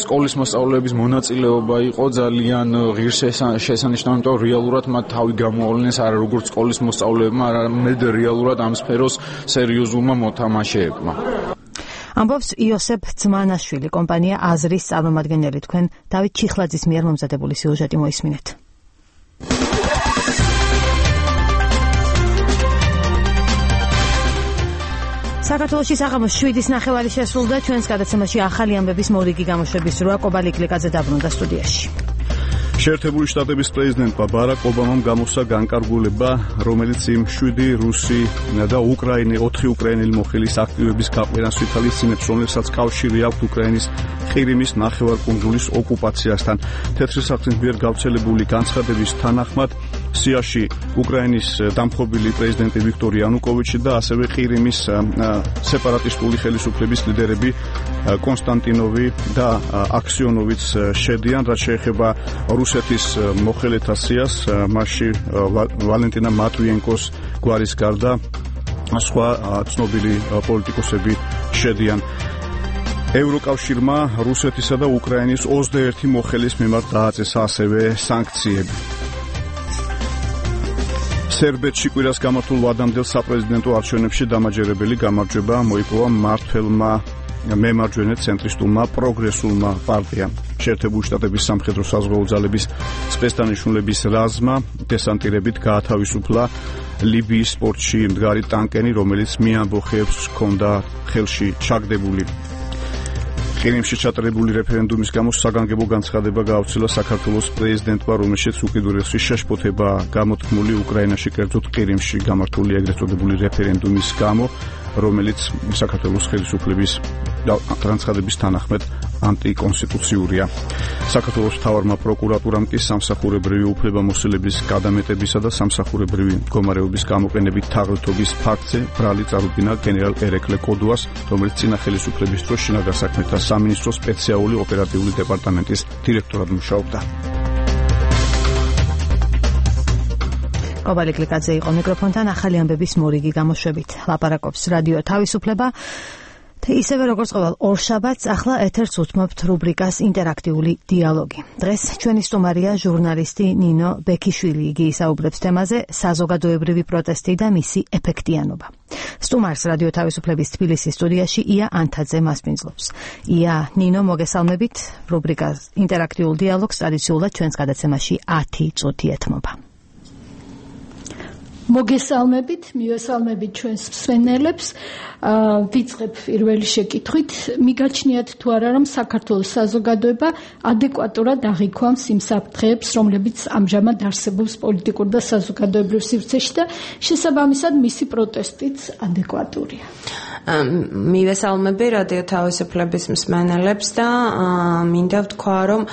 სკოლის მოსწავლეების მონაწილეობა იყო ძალიან ღირსშესანიშნავი, იმიტომ რომ რეალურად მათ თავი გამოავლინეს არა როგორც სკოლის მოსწავლეებმა, არამედ რეალურად ამ სფეროს სერიოზულმა მოთამაშეებმა. ამბობს იოსებ ძმანაშვილი, კომპანია აზრის წარმომადგენელი. თქვენ დავით ჩიხლაძის მიერ მომზადებული სიუჟეტი მოისმინეთ. საქართველოში საღამოს 7:09 შესრულდა. ჩვენს გადაცემაში ახალი ამბების მორიგი გამოშვების დროა. კობალი კლიკაძე დაბრუნდა სტუდიაში. შეერთებული შტატების პრეზიდენტმა ბარაკ ობამამ გამოსცა განკარგულება, რომელიც იმ 7 რუსი და 4 უკრაინელი მოხელის აქტივების გაყვანას ვითვალისწინებს, რომლებსაც კავშირი აქვთ უკრაინის ყირიმის ნახევარკუნძულის ოკუპაციასთან. თეთრი სახლის მიერ გავრცელებული განცხადების თანახმად სიაში უკრაინის დამხობილი პრეზიდენტი ვიქტორ იანუკოვიჩი და ასევე ყირიმის სეპარატისტული ხელისუფლების ლიდერები კონსტანტინოვი და აქსიონოვიც შედიან, რაც შეეხება რუსეთის მოხელეთა სიას, მასში ვალენტინა მატვიენკოს გვარის გარდა სხვა ცნობილი პოლიტიკოსები შედიან. ევროკავშირმა რუსეთისა და უკრაინის 21 მოხელის მიმართ დააწესა ასევე სანქციები. სერბეთში კვირას გამართულ ვადამდელ საპრეზიდენტო არჩევნებში დამაჯერებელი გამარჯვება მოიპოვა მმართველმა მემარჯვენე ცენტრისტულმა პროგრესულმა პარტიამ. შეერთებული შტატების სამხედრო საზღვაო ძალების სპეცდანიშნულების რაზმმა დესანტირებით გაათავისუფლა ლიბიის პორტში მდგარი ტანკერი, რომელიც მიამბოხეებს ჰქონდა ხელში ჩაგდებული. ყირიმში ჩატარებული რეფერენდუმის გამო საგანგებო განცხადება გაავრცელა საქართველოს პრეზიდენტმა, რომელშიც უკიდურესი შეშფოთება გამოთქმული უკრაინაში, კერძოდ ყირიმში გამართული ეგრეთ წოდებული რეფერენდუმის გამო, რომელიც საქართველოს ხელისუფლების განცხადების თანახმად ანტიკონსტიტუციურია. საქართველოს მთავარმა პროკურატურამ კი სამსახურებრივი უფლებამოსილების გადამეტებისა და სამსახურებრივი მდგომარეობის გამოყენებით თაღლითობის ფაქტზე ბრალი წარუდგინა გენერალ ერეკლე კოდუას, რომელიც წინა ხელისუფლების დროს შინაგან საქმეთა სამინისტროს სპეციალური ოპერატიული დეპარტამენტის დირექტორად მუშაობდა. კობალი კლიკაძე იყო მიკროფონთან. ახალი ამბების მორიგი გამოშვებით ლაპარაკობს რადიო თავისუფლება. ისევე როგორც ყოველ ორშაბათს, ახლა ეთერს უთმობთ რუბრიკას ინტერაქტიული დიალოგი. დღეს ჩვენი სტუმარია ჟურნალისტი ნინო ბექიშვილი. იგი ისაუბრებს თემაზე საზოგადოებრივი პროტესტი და მისი ეფექტიანობა. სტუმარს რადიო თავისუფლების თბილისის სტუდიაში ია ანთაძე მასპინძლობს. ია, ნინო, მოგესალმებით. რუბრიკას ინტერაქტიულ დიალოგს ტრადიციულად ჩვენს გადაცემაში 10 წუთი ეთმობა. მოგესალმებით, მივესალმებით ჩვენს მსმენელებს. ვიწყებ პირველი შეკითხვით. მიგაჩნიათ თუ არა, რომ საქართველოს საზოგადოება ადეკვატურად აღიქვამს იმ საფრთხეებს, რომლებიც ამჟამად არსებობს პოლიტიკურ და საზოგადოებრივ სივრცეში და შესაბამისად მისი პროტესტიც ადეკვატურია? მივესალმები რადიო თავისუფლების მსმენელებს და მინდა ვთქვა, რომ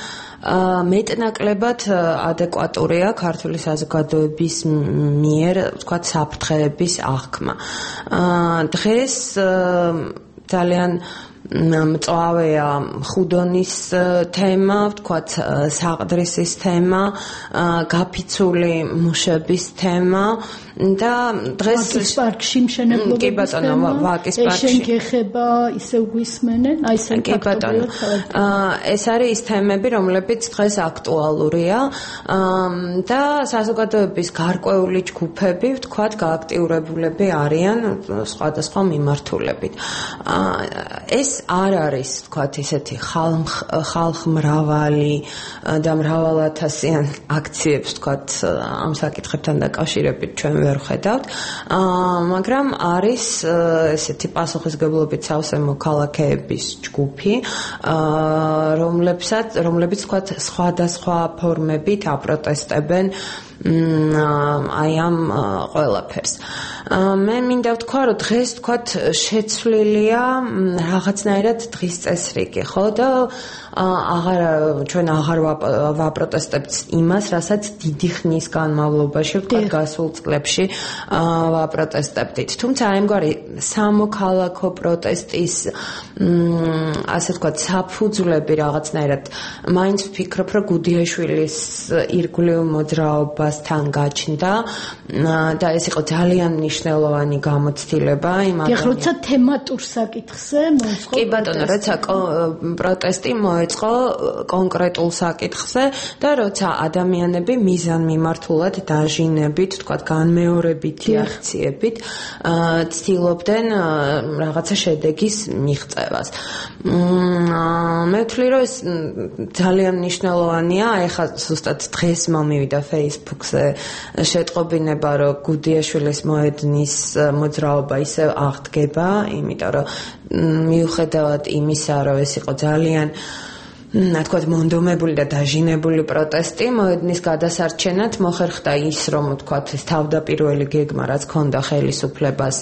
მეტნაკლებად ადეკვატურია ქართული საზოგადოების მიერ, ვთქვათ, საფრთხეების აღქმა. დღეს ძალიან მწვავეა ხუდონის თემა, ვთქვათ, საყდრისის თემა, გაფიცული მუშების თემა და დღეს ვაკის პარკში მშენებლობების კი ბატონო ვაკის პარკში შენგეხება ისევ გვისმენენ აი ეს კი ბატონო ეს არის ის თემები რომლებიც დღეს აქტუალურია და საზოგადოების გარკვეული ჯგუფები ვთქვათ გააქტიურებულები არიან სხვადასხვა მიმართულებით ეს არ არის ვთქვათ ისეთი ხალხმრავალი და მრავალათასიან აქციებს ვთქვათ ამ საკითხებთან დაკავშირებით ჩვენ ვერ ხედავთ მაგრამ არის ესეთი პასუხისგებლობით სავსე მოქალაქეების ჯგუფი რომლებიც ვთქვათ სხვადასხვა ფორმებით აპროტესტებენ აი ამ ყველაფერს მე მინდა ვთქვა რომ დღეს ვთქვათ შეცვლილია რაღაცნაირად დღის წესრიგი ხო და ჩვენ აღარ ვაპროტესტებთ იმას რასაც დიდი ხნის განმავლობაში ვთქვათ გასულ წლებში ვაპროტესტებდით თუმცა აი ამგვარი სამოქალაქო პროტესტის ასე ვთქვათ საფუძვლები რაღაცნაირად მაინც ვფიქრობ რომ გუდიაშვილის ირგვლივ მოძრაობასთან გაჩნდა და ეს იყო ძალიან მნიშვნელოვანი გამოცდილება იმ ადამიანის. როცა თემატურ საკითხზე მოეწყო კი ბატონო, როცა პროტესტი მოეწყო კონკრეტულ საკითხზე და როცა ადამიანები მიზანმიმართულად დაჟინებით, თქვათ განმეორებითი აქციებით ცდილობდნენ რაღაცა შედეგის მიღწევას. მე ვთვლი, რომ ეს ძალიან მნიშვნელოვანია, ეხლა ზუსტად დღეს მომივიდა Facebook-ზე შეტყობინება, რომ გუდიაშვილის მოედნის მოძრაობა ისევ აღდგება, იმიტომ რომ მიუხედავად იმისა, რომ ეს იყო ძალიან თქვათ მონდომებული და დაჟინებული პროტესტი მოედნის გადასარჩენად მოხერხდა ის რომ თქვათ ეს თავდაპირველი გეგმა რაც ჰქონდა ხელისუფლებას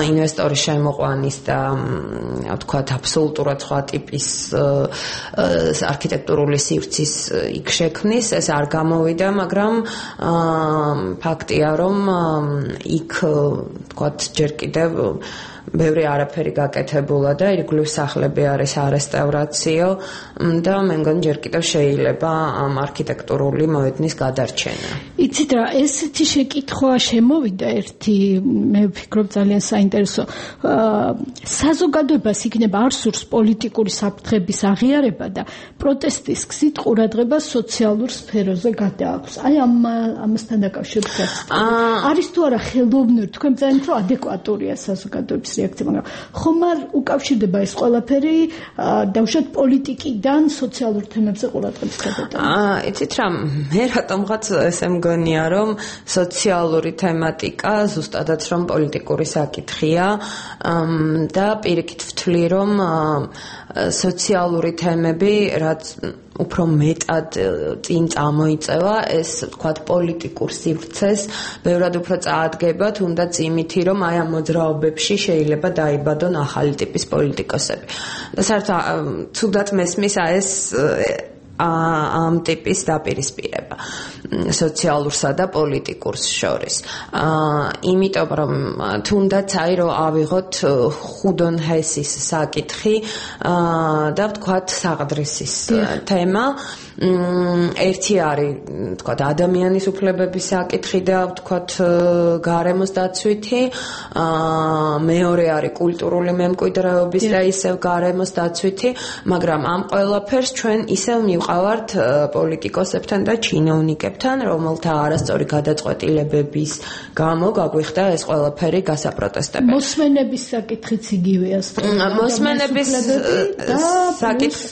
ინვესტორის შემოყვანის და თქვათ აბსოლუტურად სხვა ტიპის არქიტექტურული სივრცის იქ შექმნის ეს არ გამოვიდა მაგრამ ფაქტია რომ იქ თქვათ ჯერ კიდევ ბევრი არაფერი გაკეთებულა და ირგვლივ სახლები არის არესტავრაციო და მე მგონი ჯერ კიდევ შეიძლება ამ არქიტექტურული მოედნის გადარჩენა. იცით რა, ესეთი შეკითხვა შემოვიდა ერთი, მე ვფიქრობ ძალიან საინტერესო. საზოგადოებას იქნება არ სურს პოლიტიკური საფრთხების აღიარება და პროტესტის გზით ყურადღება სოციალურ სფეროზე გადააქვს. აი ამასთან დაკავშირებით არის თუ არა ხელოვნური, თქვენ ძალიან უფრო ადეკვატურია საზოგადოების რეაქცია, მაგრამ ხომ არ უკავშირდება ეს ყველაფერი დავუშვათ პოლიტიკიდან სოციალურ თემებზე ყურადღების გადატანა? იცით რა, მე რატომღაც ესე მგონია, რომ სოციალური თემატიკა ზუსტადაც რომ პოლიტიკური საკითხია და პირიქით ვთვლი, რომ სოციალური თემები რაც უფრო მეტად წინ წამოიწევა ეს თქვათ პოლიტიკურ სივრცეს ბევრად უფრო წაადგება თუნდაც იმითი რომ აი ამ მოძრაობებში შეიძლება დაიბადონ ახალი ტიპის პოლიტიკოსები და საერთოდ თუნდაც მესმის ეს ამ ტიპის დაპირისპირება სოციალურსა და პოლიტიკურს შორის. იმიტომ რომ თუნდაც აი რომ ავიღოთ ხუდონ ჰესის საკითხი და ვთქვათ საყდრისის თემა ერთი არის ვთქვათ ადამიანის უფლებების საკითხი და ვთქვათ გარემოს დაცვითი მეორე არის კულტურული მემკვიდრეობის და ისევ გარემოს დაცვითი მაგრამ ამ ყველაფერს ჩვენ ისევ მივყავართ პოლიტიკოსებთან და ჩინოვნიკებთან რომელთა არასწორი გადაწყვეტილებების გამო გაგვიხდა ეს ყველაფერი გასაპროტესტებელი მოსმენების საკითხიც იგივეა მოსმენების საკითხი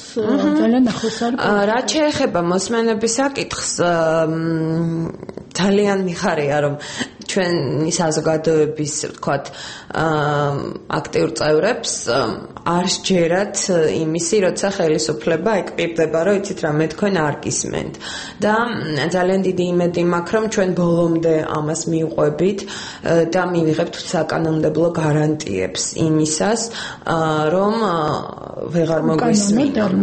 ძალიან ახლოს არის ეხება მოსმენების საკითხს ძალიან მიხარია რომ ჩვენი საზოგადოების ვთქვათ აქტიურ წევრებს არ სჯერათ იმისი როცა ხელისუფლება ეკპირდება რომ იცით რა მე თქვენ არ გისმენთ და ძალიან დიდი იმედი მაქვს რომ ჩვენ ბოლომდე ამას მივყვებით და მივიღებთ საკანონმდებლო გარანტიებს იმისას რომ ვეღარ მოგვისმინონ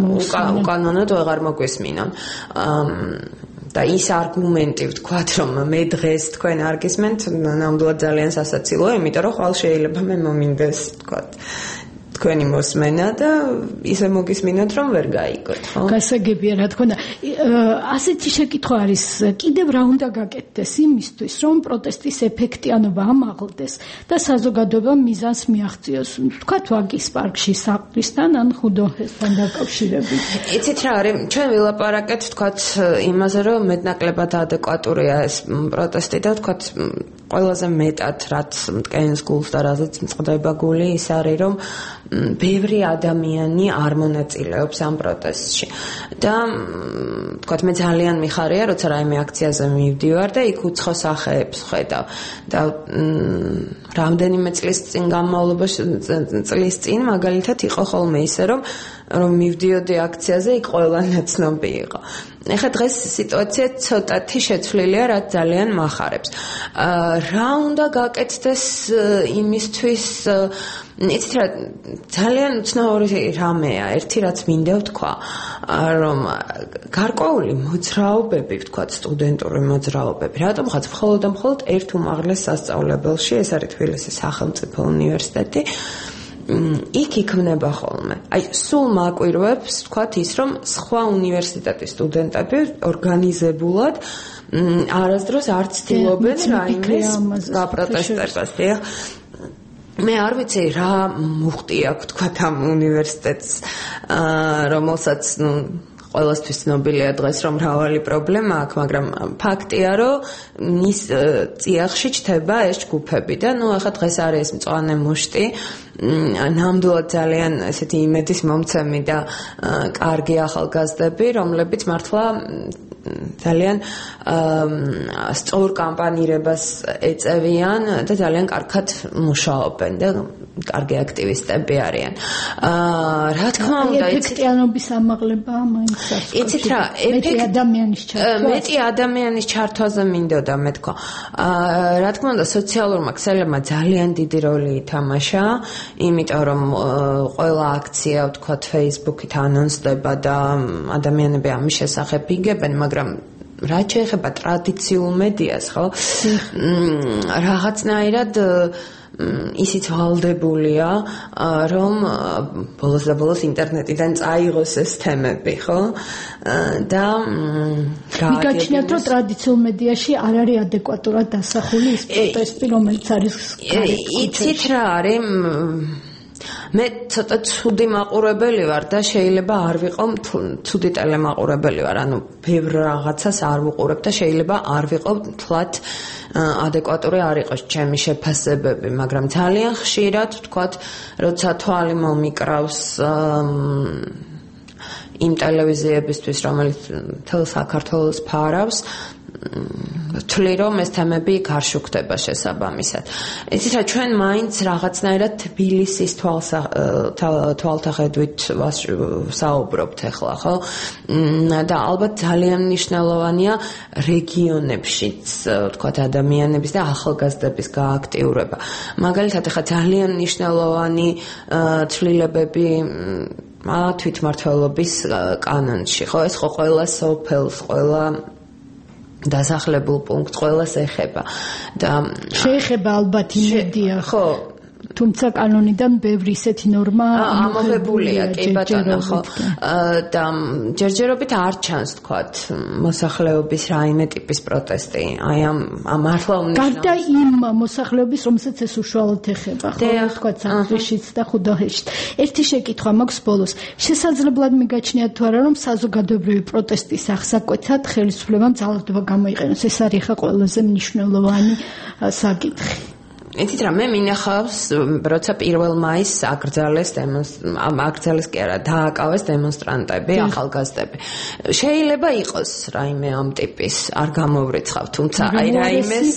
უკანონოდ ვეღარ მოგვისმინონ და ის არგუმენტი ვთქვათ რომ მე დღეს თქვენ არ გისმენთ ნამდვილად ძალიან სასაცილოა იმიტომ რომ ხვალ შეიძლება მე მომინდეს ვთქვათ თქვენი მოსმენა და ისე მოგისმინოთ რომ ვერ გაიგოთ, ხო? გასაგებია რა თქმა უნდა. ასეთი შეკითხვა არის, კიდევ რა უნდა გაკეთდეს იმისთვის, რომ პროტესტის ეფექტიანობა ამაღლდეს და საზოგადოება მიზანს მიაღწიოს. თქვათ ვაგის პარკში საყდრისთან ან ხუდოჰესთან დაკავშირებით. იცით რა არის, ჩვენ ვილაპარაკეთ თქვათ იმაზე, რომ მეტნაკლებად ადეკვატურია ეს პროტესტი და თქვათ ყველაზე მეტად რაც მტკენს გულს და რაზეც მწყდება გული ის არის რომ ბევრი ადამიანი არ მონაწილეობს ამ პროტესტში და თქვათ მე ძალიან მიხარია როცა რაიმე აქციაზე მივდივარ და იქ უცხო სახეებს ხედავ და რამდენიმე წლის წინ მაგალითად იყო ხოლმე ისე რომ მივდიოდი აქციაზე იქ ყველა ნაცნობი იყო. ეხლა დღეს სიტუაცია ცოტათი შეცვლილია, რაც ძალიან მახარებს. რა უნდა გაკეთდეს იმისთვის, იცით რა, ძალიან უცნაური რამეა, ერთი რაც მინდა ვთქვა, რომ გარკვეული მოძრაობები, ვთქვათ, სტუდენტური მოძრაობები, რატომღაც მხოლოდ და მხოლოდ ერთ უმაღლეს სასწავლებელში, ეს არის თბილისის სახელმწიფო უნივერსიტეტი, იქ იქმნება ხოლმე. აი, სულ მაკვირვებს, ვთქვათ ის, რომ სხვა უნივერსიტეტის სტუდენტები ორგანიზებულად არასდროს არ ცდილობენ რაიმეს გაპროტესტებას. მე არ ვიცი რა მუხტი აქვს, ვთქვათ, ამ უნივერსიტეტს, რომელსაც, ყველასთვის ცნობილია დღეს რომ მრავალი პრობლემა აქვს, მაგრამ ფაქტია რომ მის წიაღში ჩდება ეს ჯგუფები და ახლა დღეს არის ეს მწვანე მუშტი, ნამდვილად ძალიან ესეთი იმედის მომცემი და კარგი ახალგაზრდები, რომლებიც მართლა ძალიან სწორ კამპანირებას ეწევიან და ძალიან კარგად მუშაობენ და კარგი აქტივისტები არიან. რა თქმა უნდა, ეფექტიანობის ამაღლება მაინც იცით რა, მეტი ადამიანის ჩართვაზე მინდოდა მე თქვა. რა თქმა უნდა, სოციალურმა ქსელებმა ძალიან დიდი როლი ითამაშა, იმიტომ რომ ყველა აქცია, ვთქვათ, Facebook-ით ანონსდება და ადამიანები ამის შესახებ იგებენ, მაგრამ რაც შეეხება ტრადიციულ მედიას, ხო? რაღაცნაირად ისიც ვალდებულია, რომ ბოლოს და ბოლოს ინტერნეტიდან წაიღოს ეს თემები, ხო? და მიგაჩნიათ, რომ ტრადიციულ მედიაში არ არის ადეკვატურად დასახული ის პროტესტი, რომელიც არის იცით რა არის? მე ცოტა ცუდი მაყურებელი ვარ და შეიძლება არ ვიყო ცუდი ტელემაყურებელი ვარ, ანუ ბევრ რაღაცას არ ვუყურებ და შეიძლება არ ვიყო თლათ ადეკვატური არ იყოს ჩემი შეფასებები, მაგრამ ძალიან ხშირად ვთქვათ, როცა თვალი მომიკრავს იმ ტელევიზიებისთვის, რომელიც მთელ საქართველოს ფარავს, ვთვლი რომ ეს თემები არ შუქდება შესაბამისად. იცით რა, ჩვენ მაინც რაღაცნაირად თბილისის თვალთახედვით საუბრობთ ახლა, ხო? და ალბათ ძალიან მნიშვნელოვანია რეგიონებშიც, ვთქვათ, ადამიანების და ახალგაზრდების გააქტიურება. მაგალითად, ახლა ძალიან მნიშვნელოვანი ცვლილებები თვითმმართველობის კანონში, ხო? ეს ხო ყველა სოფელს, ყველა დასახლებულ პუნქტს ყველას ეხება და შეეხება ალბათ იმედია, ხო? თუმცა კანონიდან ბევრი ისეთი ნორმა ამოღებულია, კი ბატონო, ხო? და ჯერჯერობით არ ჩანს, თქვათ, მოსახლეობის რაიმე ტიპის პროტესტი. აი ამ მართლა უნიშნავია. გარდა იმ მოსახლეობის, რომელსაც ეს უშუალოდ ეხება, ხო? თქვათ, საფრიშიც და ხუდოჰეშიც. ერთი შეკითხვა მაქვს ბოლოს. შესაძლებლად მიგაჩნიათ თუ არა, რომ საზოგადოებრივი პროტესტის აღსაკვეთად ხელისუფლებამ ძალადობა გამოიყენოს? ეს არის ხა ყველაზე მნიშვნელოვანი საკითხი. იცით რა, მე მინახავს, როცა 1 მაისს აკრძალეს კი არა, დააკავეს დემონსტრანტები, ახალგაზრდები. შეიძლება იყოს რაიმე ამ ტიპის, არ გამოვრიცხავ, თუმცა აი რაიმეს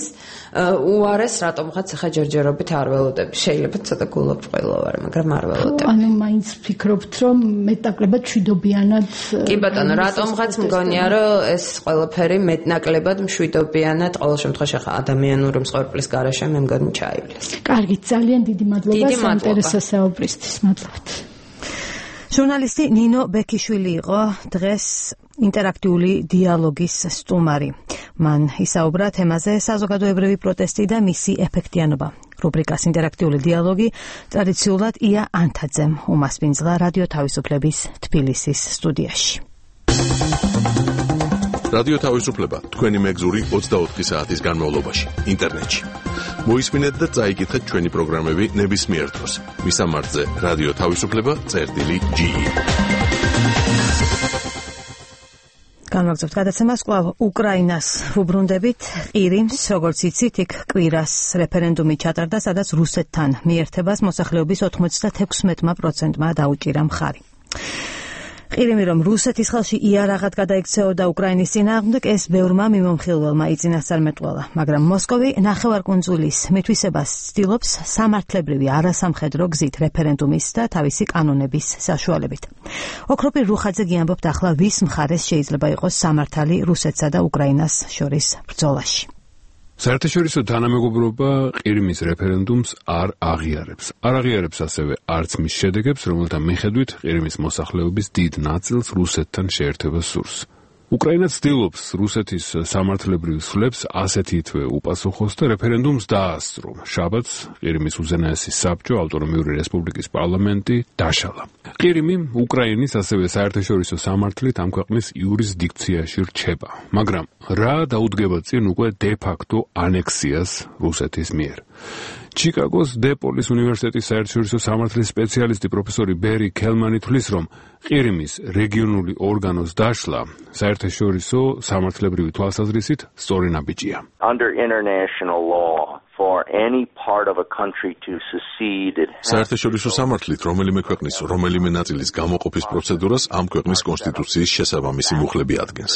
უარეს რატომღაც ახლა ჯერჯერობით არ ველოდები. შეიძლება ცოტა გულობწყვილო ვარ, მაგრამ არ ველოდები. ანუ მაინც ფიქრობთ, რომ მეტნაკლებად მშვიდობიანად კი ბატონო, რატომღაც მგონია, რომ ეს ყველაფერი მეტნაკლებად მშვიდობიანად ყოველ შემთხვევაში ახლა ადამიანური მსხვერპლის გარეშე მე მგონი ჩაივლის. კარგი, ძალიან დიდი მადლობა საინტერესო საუბრისთვის. მადლობთ. ჟურნალისტი ნინო ბექიშვილი იყო დღეს ინტერაქტიული დიალოგის სტუმარი. მან ისაუბრა თემაზე საზოგადოებრივი პროტესტი და მისი ეფექტიანობა. რუბრიკას ინტერაქტიული დიალოგი ტრადიციულად ია ანთაძემ უმასპინძლა რადიო თავისუფლების თბილისის სტუდიაში. რადიო თავისუფლება თქვენი მეგზური 24 საათის განმავლობაში ინტერნეტში. მოისმინეთ და წაიკითხეთ ჩვენი პროგრამები ნებისმიერ დროს. მისამართზე რადიო თავისუფლება.ge. განვაგრძობთ გადაცემას კვლავ უკრაინას ვუბრუნდებით. ყირიმს, როგორც იცით, იქ კვირას რეფერენდუმი ჩატარდა, სადაც რუსეთთან მიერთებას მოსახლეობის 96%-მა დაუჭირა მხარი. ყირიმი რომ რუსეთის ხელში იარაღად გადაიქცეოდა უკრაინის წინააღმდეგ, ეს ბევრმა მიმომხილველმა იწინასწარმეტყველა, მაგრამ მოსკოვი ნახევარკუნძულის მითვისებას ცდილობს სამართლებრივი არასამხედრო გზით რეფერენდუმის და თავისი კანონების საშუალებით. ოქროპირ რუხაძე გიამბობთ ახლა ვის მხარეს შეიძლება იყოს სამართალი რუსეთსა და უკრაინას შორის ბრძოლაში. საერთაშორისო თანამეგობრობა ყირიმის რეფერენდუმს არ აღიარებს. არ აღიარებს ასევე არც მის შედეგებს, რომელთა მიხედვით ყირიმის მოსახლეობის დიდ ნაწილს რუსეთთან შეერთება სურს. უკრაინა ცდილობს რუსეთის სამართლებრივ სვლებს ასეთითვე უპასუხოს და რეფერენდუმს დაასწრო. შაბათს ყირიმის უზენაესი საბჭო ავტონომიური რესპუბლიკის პარლამენტი დაშალა. ყირიმი უკრაინის ასევე საერთაშორისო სამართლით ამ ქვეყნის იურისდიქციაში რჩება, მაგრამ რა დაუდგება წინ უკვე დე-ფაქტო ანექსიას რუსეთის მიერ. ჩიკაგოს დე-პოლის უნივერსიტეტის საერთაშორისო სამართლის სპეციალისტი პროფესორი ბერი ქელმანი თვლის, რომ ყირიმის რეგიონული ორგანოს დაშლა საერთაშორისო სამართლებრივი თვალსაზრისით სწორი ნაბიჯია. Under international law, for any part of a country to secede, საერთაშორისო სამართლით რომელიმე ქვეყნის რომელიმე ნაწილის გამოყოფის პროცედურას ამ ქვეყნის კონსტიტუციის შესაბამისი მუხლები ადგენს.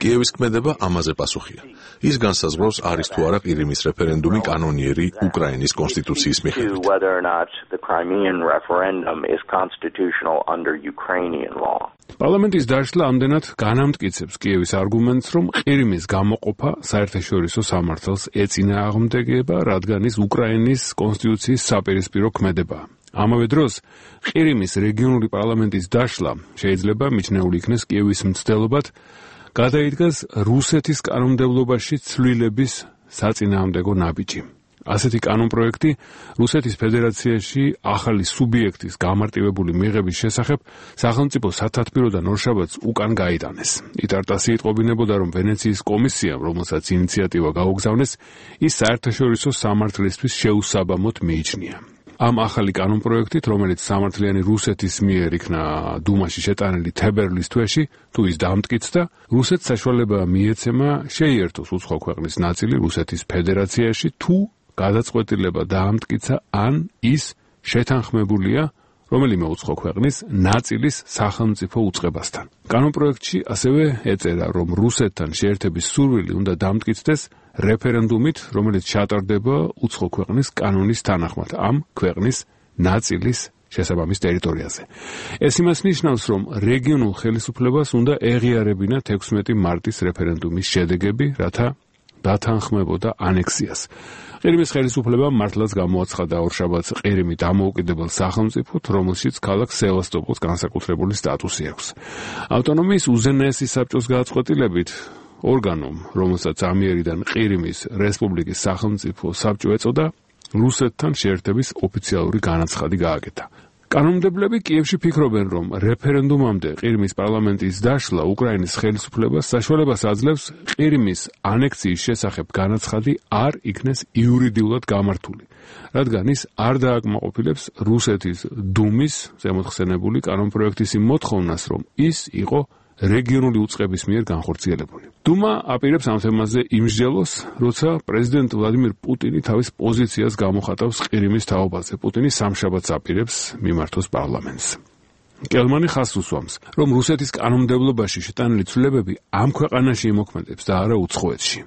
კიევის ქმედება ამაზე პასუხია. ის განსაზღვრავს არის თუ არა ყირიმის რეფერენდუმი კანონიერი უკრაინის კონსტიტუციის მიხედვით. whether or not the Crimean referendum is constitutional under Ukrainian law. პარლამენტის დაშლა ამდენად განამტკიცებს კიევის არგუმენტს, რომ ყირიმის გამოყოფა საერთაშორისო სამართალს ეწინააღმდეგება, რადგან ის უკრაინის კონსტიტუციის საპირისპირო ქმედებაა. ამავე დროს ყირიმის რეგიონული პარლამენტის დაშლა შეიძლება მიჩნეული იქნეს კიევის მცდელობად, გადაიდგას რუსეთის კანონმდებლობაში ცვლილების საწინააღმდეგო ნაბიჯი. ასეთი კანონპროექტი რუსეთის ფედერაციაში ახალი სუბიექტის გამარტივებული მიღების შესახებ სახელმწიფო სათათბიროდან ორშაბათს უკან გაიტანეს. იტარტასი იტყობინებოდა, რომ ვენეციის კომისიამ, რომელსაც ინიციატივა გაუგზავნეს, ის საერთაშორისო სამართლისთვის შეუსაბამოდ მიიჩნია. ამ ახალი კანონპროექტით, რომელიც სამართლიანი რუსეთის მიერ იქნა დუმაში შეტანილი თებერვლის თვეში, თუ ის დამტკიცდა, რუსეთს საშუალება მიეცემა შეიერთოს უცხო ქვეყნის ნაწილი რუსეთის ფედერაციაში, თუ გადაწყვეტილება დაამტკიცა ან ის შეთანხმებულია რომელიმე უცხო ქვეყნის ნაწილის სახელმწიფო უწყებასთან. კანონპროექტში ასევე ეწერა, რომ რუსეთთან შეერთების სურვილი უნდა დამტკიცდეს რეფერენდუმით, რომელიც ჩატარდება უცხო ქვეყნის კანონის თანახმად ამ ქვეყნის ნაწილის შესაბამის ტერიტორიაზე. ეს იმას ნიშნავს, რომ რეგიონულ ხელისუფლებას უნდა ეღიარებინა 16 მარტის რეფერენდუმის შედეგები, რათა დათანხმებოდა ანექსიას. ყირიმის ხელისუფლებამ მართლაც გამოაცხადა ორშაბათს ყირიმი დამოუკიდებელ სახელმწიფოდ, რომელშიც ქალაქ სევასტოპოლს განსაკუთრებული სტატუსი აქვს. ავტონომიის უზენაესი საბჭოს გადაწყვეტილებით ორგანომ, რომელსაც ამიერიდან ყირიმის რესპუბლიკის სახელმწიფო საბჭო ეწოდა, რუსეთთან შეერთების ოფიციალური განაცხადი გააკეთა. კანონმდებლები კიევში ფიქრობენ, რომ რეფერენდუმამდე ყირიმის პარლამენტის დაშლა უკრაინის ხელისუფლებას საშუალებას აძლევს ყირიმის ანექსიის შესახებ განაცხადი არ იქნეს იურიდიულად გამართული, რადგან ის არ დააკმაყოფილებს რუსეთის დუმის ზემოთხსენებული კანონპროექტის იმ მოთხოვნას, რომ ის იყო რეგიონული უწყების მიერ განხორციელებული. დუმა აპირებს ამ თემაზე იმსჯელოს, როცა პრეზიდენტ ვლადიმირ პუტინი თავის პოზიციას გამოხატავს ყირიმის თაობაზე. პუტინი სამშაბათს აპირებს მიმართოს პარლამენტს. კელმანი ხაზს უსვამს, რომ რუსეთის კანონმდებლობაში შეტანილი ცვლილებები ამ ქვეყანაში იმოქმედებს და არა უცხოეთში.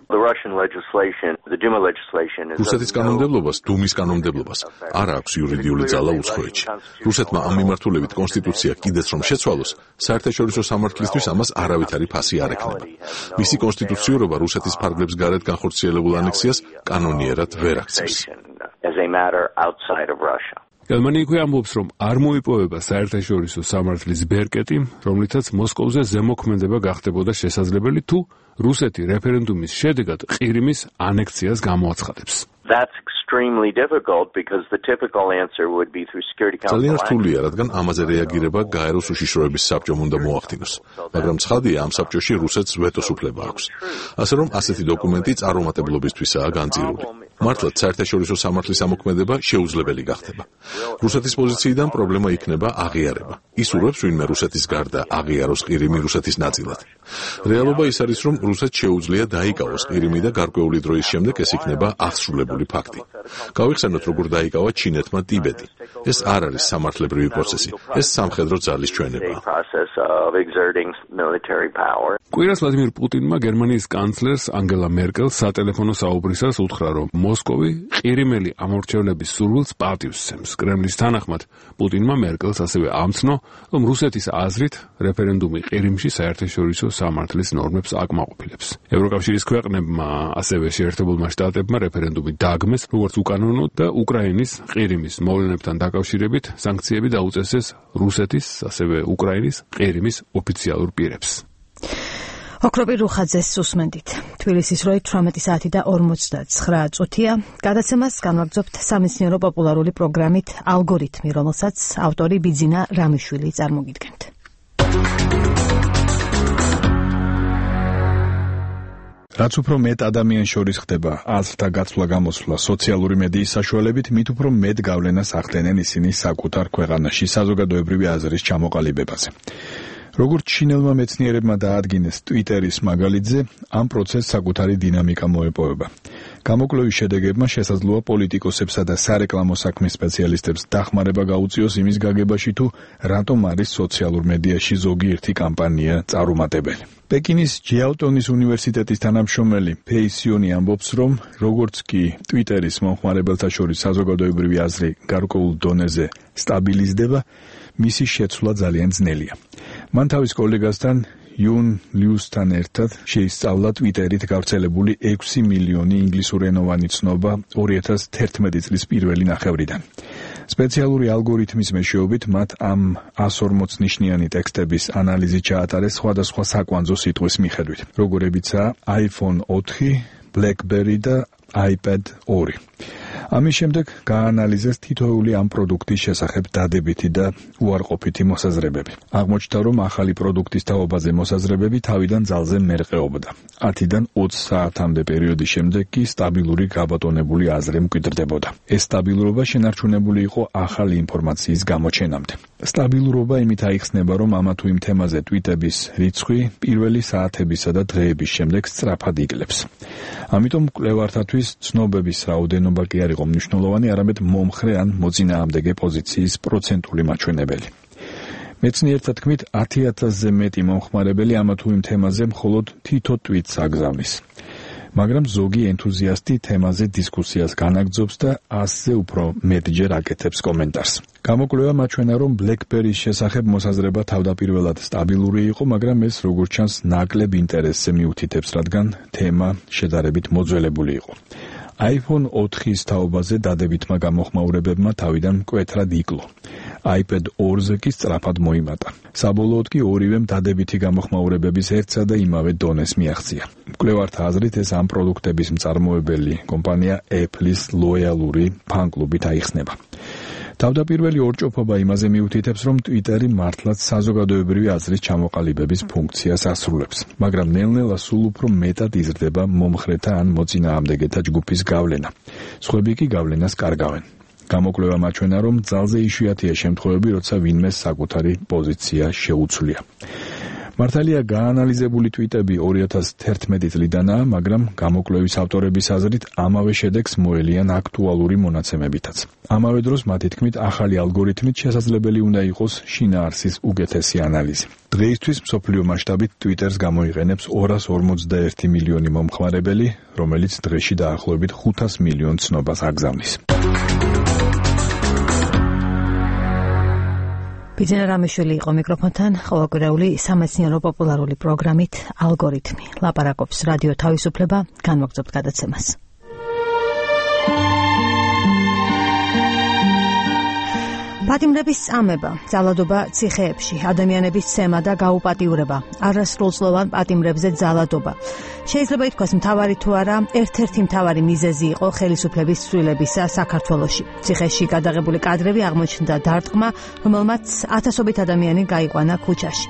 რუსეთის კანონმდებლობას, დუმის კანონმდებლობას არ აქვს იურიდიული ძალა უცხოეთში. რუსეთმა ამ მიმართულებით კონსტიტუცია კიდეც რომ შეცვალოს, საერთაშორისო სამართლისთვის ამას არავითარი ფასი არ ექნება. მისი კონსტიტუციურობა რუსეთის ფარგლებს გარეთ განხორციელებულ ანექსიას კანონიერად ვერ აქცევს. გერმანია იქვე ამბობს, რომ არ მოიპოვება საერთაშორისო სამართლის ბერკეტი, რომლითაც მოსკოვზე ზემოქმედება გახდებოდა შესაძლებელი, თუ რუსეთი რეფერენდუმის შედეგად ყირიმის ანექსიას გამოაცხადებს. extremely difficult because the typical answer would be through Security Council. ძალიან რთულია, რადგან ამაზე რეაგირება გაეროს უშიშროების საბჭომ უნდა მოახდინოს, მაგრამ ცხადია, ამ საბჭოში რუსეთს ვეტოს უფლება აქვს. ასე რომ ასეთი დოკუმენტი წარუმატებლობისთვისაა განწირული. მართლაც საერთაშორისო სამართლის ამოქმედება შეუძლებელი გახდება. რუსეთის პოზიციიდან პრობლემა იქნება აღიარება. ისურვებს ვინმე რუსეთის გარდა აღიაროს ყირიმი რუსეთის ნაწილად. რეალობა ის არის, რომ რუსეთს შეუძლია დაიკავოს ყირიმი და გარკვეული დროის შემდეგ ეს იქნება აღსრულებული ფაქტი. გავიხსენოთ, როგორ დაიკავა ჩინეთმა ტიბეტი. ეს არ არის სამართლებრივი პროცესი, ეს სამხედრო ძალის ჩვენება. კვირას ვლადიმირ პუტინმა გერმანიის კანცლერს ანგელა მერკელს სატელეფონო საუბრისას უთხრა, რომ მოსკოვი ყირიმელი ამორჩევლების სურვილს პატივს. კრემლის თანახმად პუტინმა მერკელს ასევე ამცნო, რომ რუსეთის აზრით რეფერენდუმი ყირიმში საერთაშორისო სამართლის ნორმებს აკმაყოფილებს. ევროკავშირის ქვეყნებმა, ასევე შეერთებულმა შტატებმა რეფერენდუმი დაგმეს, როგორც უკანონო და უკრაინის ყირიმის მოვლენებთან დაკავშირებით სანქციები დაუწესეს რუსეთის, ასევე უკრაინის ყირიმის ოფიციალურ პირებს. ოქროპირ რუხაძეს უსმენდით. თბილისის როი 18 საათი და 59 წუთია. გადაცემას განვაგრძობთ სამეცნიერო პოპულარული პროგრამით ალგორითმი, რომელსაც ავტორი ბიძინა რამიშვილი წარმოგიდგენთ. რაც უფრო მეტ ადამიანს შორის ხდება აზრთა გაცვლა-გამოსვლა სოციალური მედიის საშუალებით, მით უფრო მეტ გავლენას ახდენენ ისინი საკუთარ ქვეყანაში საზოგადოებრივი აზრის ჩამოყალიბებაზე. როგორც ჩინელმა მეცნიერებმა დაადგინეს ტვიტერის მაგალითზე, ამ პროცესს საკუთარი დინამიკა მოეპოვება. გამოკვლევის შედეგებმა შესაძლოა პოლიტიკოსებსა და სარეკლამო საქმის სპეციალისტებს დახმარება გაუწიოს იმის გაგებაში, თუ რატომ არის სოციალურ მედიაში ზოგიერთი კამპანია წარუმატებელი. პეკინის ჯიაოტონის უნივერსიტეტის თანამშრომელი ფეი სიონი ამბობს, რომ როგორც კი ტვიტერის მომხმარებელთა შორის საზოგადოებრივი აზრი გარკვეულ დონეზე სტაბილიზდება, მისი შეცვლა ძალიან ძნელია. მან თავის კოლეგასთან იუნ ლიუსთან ერთად შეისწავლა ტვიტერით გავრცელებული 6 მილიონი ინგლისურენოვანი ცნობა 2011 წლის პირველი ნახევრიდან. სპეციალური ალგორითმის მეშვეობით მათ ამ 140 ნიშნიანი ტექსტების ანალიზი ჩაატარეს სხვადასხვა საკვანძო სიტყვის მიხედვით, როგორებიცაა iPhone 4, BlackBerry და iPad 2. ამის შემდეგ გაანალიზეს თითოეული ამ პროდუქტის შესახებ დადებითი და უარყოფითი მოსაზრებები. აღმოჩნდა, რომ ახალი პროდუქტის თაობაზე მოსაზრებები თავიდან ძალზე მერყეობდა. 10-დან 20 საათამდე პერიოდის შემდეგ კი სტაბილური გაბატონებული აზრი მკვიდრდებოდა. ეს სტაბილურობა შენარჩუნებული იყო ახალი ინფორმაციის გამოჩენამდე. სტაბილურობა იმით აიხსნება, რომ ამა თუ იმ თემაზე ტვიტების რიცხვი პირველი საათებისა და დღეების შემდეგ სწრაფად იკლებს. ამიტომ მკვლევართათვის ცნობების რაოდენობა კი არ იყო მნიშვნელოვანი, არამედ მომხრე ან მოწინააღმდეგე პოზიციის პროცენტული მაჩვენებელი. მეცნიერთა თქმით, 10,000-ზე მეტი მომხმარებელი ამა თუ იმ თემაზე მხოლოდ თითო ტვიტს აგზავნის. მაგრამ ზოგი ენთუზიასტი თემაზე დისკუსიას განაგრძობს და 100-ზე უფრო მეტჯერ აკეთებს კომენტარს. გამოკვლევა მაჩვენა, რომ BlackBerry-ის შესახებ მოსაზრება თავდაპირველად სტაბილური იყო, მაგრამ ეს როგორც ჩანს ნაკლებ ინტერესზე მიუთითებს, რადგან თემა შედარებით მოძველებული იყო. iPhone 4-ის თაობაზე დადებითმა გამოხმაურებებმა თავიდან მკვეთრად იკლო. iPad 2-ზე კი სწრაფად მოიმატა. საბოლოოდ კი ორივემ დადებითი გამოხმაურებების ერთსა და იმავე დონეს მიაღწია. მკვლევართა აზრით ეს ამ პროდუქტების მწარმოებელი კომპანია Apple-ის ლოიალური ფან-კლუბით აიხსნება. თავდაპირველი ორჭოფობა იმაზე მიუთითებს, რომ Twitter-ი მართლაც საზოგადოებრივი აზრის ჩამოყალიბების ფუნქციას ასრულებს, მაგრამ ნელ-ნელა სულ უფრო მეტად იზრდება მომხრეთა ან მოწინააღმდეგეთა ჯგუფის გავლენა. სხვები კი გავლენას კარგავენ. გამოკვლევა მაჩვენა, რომ ძალზე იშვიათია შემთხვევები, როცა ვინმე საკუთარი პოზიცია შეუცვლია. მართალია გაანალიზებული ტვიტები 2011 წლიდანაა, მაგრამ გამოკვლევის ავტორების აზრით ამავე შედეგს მოელიან აქტუალური მონაცემებითაც. ამავე დროს მათი თქმით, ახალი ალგორითმით შესაძლებელი უნდა იყოს შინაარსის უკეთესი ანალიზი. დღეისთვის მსოფლიო მასშტაბით Twitter-ს გამოიყენებს 251 მილიონი მომხმარებელი, რომელიც დღეში დაახლოებით 500 მილიონ ცნობას აგზავნის. ბიძინა რამიშვილი იყო მიკროფონთან, ყოველკვირეული სამეცნიერო პოპულარული პროგრამით ალგორითმი. ლაპარაკობს რადიო თავისუფლება, განვაგრძობთ გადაცემას. პატიმრების წამება, ძალადობა ციხეებში, ადამიანების ცემა და გაუპატიურება, არასრულწლოვან პატიმრებზე ძალადობა. შეიძლება ითქვას მთავარი თუ არა, ერთ-ერთი მთავარი მიზეზი იყო ხელისუფლების ცვლილებისა საქართველოში. ციხეში გადაღებული კადრები აღმოჩნდა დარტყმა, რომელმაც ათასობით ადამიანი გაიყვანა ქუჩაში.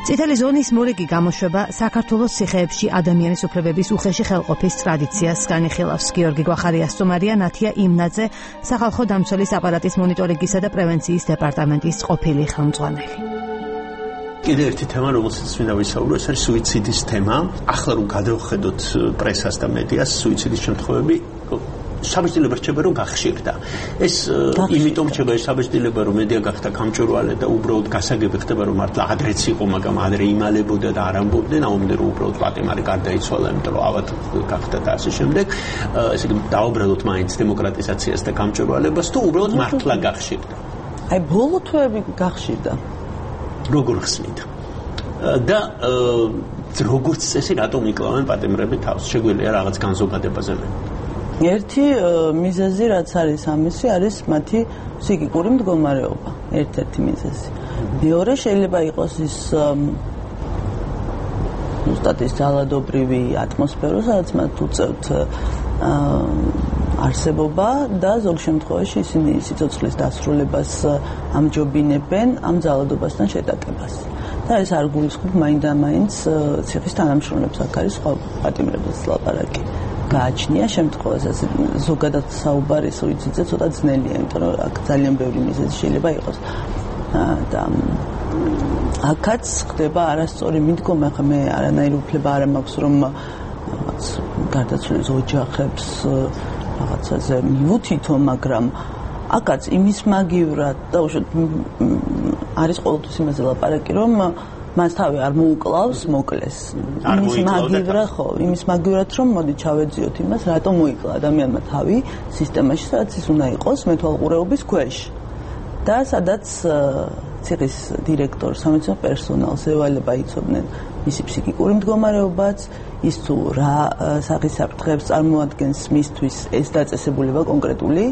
წითელი ზონის მორიგი გამოშვება საქართველოს ციხეებში ადამიანის უფლებების უხეში ხელყოფის ტრადიციას განიხილავს. გიორგი გვახარია სტუმარია, ნათია იმნაძე, სახალხო დამცველის აპარატის მონიტორინგისა და პრევენციის დეპარტამენტის ყოფილი ხელმძღვანელი. კიდევ ერთი თემა, რომელსაც მინდა ვისაუბრო, ეს არის სუიციდის თემა. ახლა რომ გადავხედოთ პრესას და მედიას, სუიციდის შემთხვევები საბჭოთა რჩება რომ გახშირდა. ეს იმიტომ რჩება საბჭოთა რომ მედია გახდა გამჭვირვალე და უბრალოდ გასაგები ხდება რომ მართლა ადრეც იყო, მაგრამ ადრე იმალებოდა და არ ამბობდნენ, ამბობდნენ რომ უბრალოდ პატიმარი გარდაიცვალა, იმიტომ რომ ავად გახდა და ასე შემდეგ. ესე იგი დაუბრალოთ მაინც დემოკრატიზაციას და გამჭვირვალებას თუ უბრალოდ მართლა გახშირდა. აი ბოლო თვეები გახშირდა. როგორ ხსნით? და როგორც წესი რატომ იკლავენ პატიმრები თავს? შეგვიძლია რაღაც განზოგადებაზე მე. ერთი მიზეზი რაც არის ამისი არის მათი ფსიქიკური მდგომარეობა, ერთ-ერთი მიზეზი. მეორე შეიძლება იყოს ის სტატის ძალადობრივი ატმოსფერო, სადაც მათ უწევთ არსებობა და ზოგ შემთხვევაში ისინი სიცოცხლის დასრულებას ამჯობინებენ ამ ძალადობასთან შეტაკებას. და ეს არ გულისხმობ მაინდა-მაინც ციხის თანამშრომლებს, აქ არის სხვა პატიმრებსაც ლაპარაკი. გააჩნია შემთხვევასაც ზოგადად საუბარი სუიციდზე ცოტა ძნელია, იმიტომ რომ აქ ძალიან ბევრი მიზეზი შეიძლება იყოს. და აქაც ხდება არასწორი მიდგომა, ხა მე არანაირი უფლება არ მაქვს რომ გარდაცვლილის ოჯახებს რაღაცაზე მივუთითო, მაგრამ აქაც იმის მაგივრად და უშუალოდ არის ყოველთვის იმაზე ლაპარაკი, რომ მას თავი არ მოუკლავს, მოკლეს. იმის მაგივრად რომ მოდი ჩავეძიოთ იმას, რატომ მოიკლა ადამიანმა თავი სისტემაში, სადაც ის უნდა იყოს მეთვალყურეობის ქვეშ. და სადაც ციხის დირექტორ, სამედიცინო პერსონალს ევალება იცოდნენ მისი ფსიქიკური მდგომარეობაც, ის თუ რა სახის საფრთხეებს წარმოადგენს მისთვის ეს დაწესებულება კონკრეტული.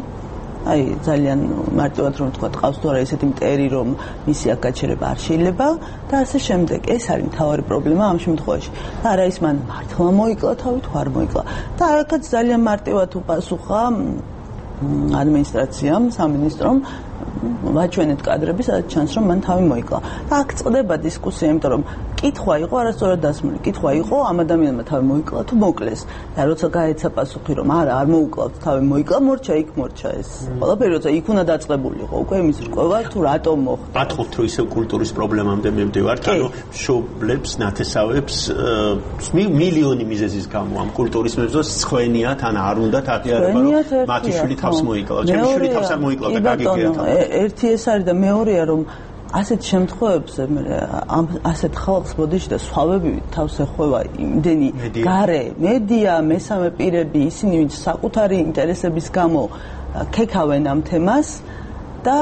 აი ძალიან მარტივად რომ თქვა, ყავს თუ არა ესეთი მტერი, რომ მისი აქ გაჩერება არ შეიძლება და ასე შემდეგ. ეს არის მთავარი პრობლემა ამ შემთხვევაში. და არა ის მან მართლა მოიკლა თავი თუ არ მოიკლა. და აქაც ძალიან მარტივად უპასუხა ადმინისტრაციამ, სამინისტრომ, ვაჩვენეთ კადრები, სადაც ჩანს რომ მან თავი მოიკლა. და აქ წყდება დისკუსია, იმიტომ რომ კითხვა იყო არასწორად დასმული. კითხვა იყო ამ ადამიანმა თავი მოიკლა თუ მოკლეს. და როცა გაეცა პასუხი რომ არა, არ მოუკლავთ, თავი მოიკლა, მორჩა იქ მორჩა ეს. ყველაფერი როცა იქ უნდა დაწყებულიყო, უკვე იმის რკვევა თუ რატომ მოხდა. ატყობთ რომ ისევ კულტურის პრობლემამდე მივდივართ, ანუ შობლებს, ნათესავებს მილიონი მიზეზის გამო ამ კულტურის მეზოს ცხენიათ, ან არ უნდათ აღიარება რომ მათი შვილი თავს მოიკლავს. ჩემი შვილი თავს არ მოიკლავდა, გაგიგია თავი. ერთი ეს არის და მეორეა რომ ასეთ შემთხვევებზე ასეთ ხალხს ბოდიში და სხვავები თავს ეხვევა იმდენი გარე მედია, მესამე პირები, ისინი ვინც საკუთარი ინტერესების გამო ქექავენ ამ თემას და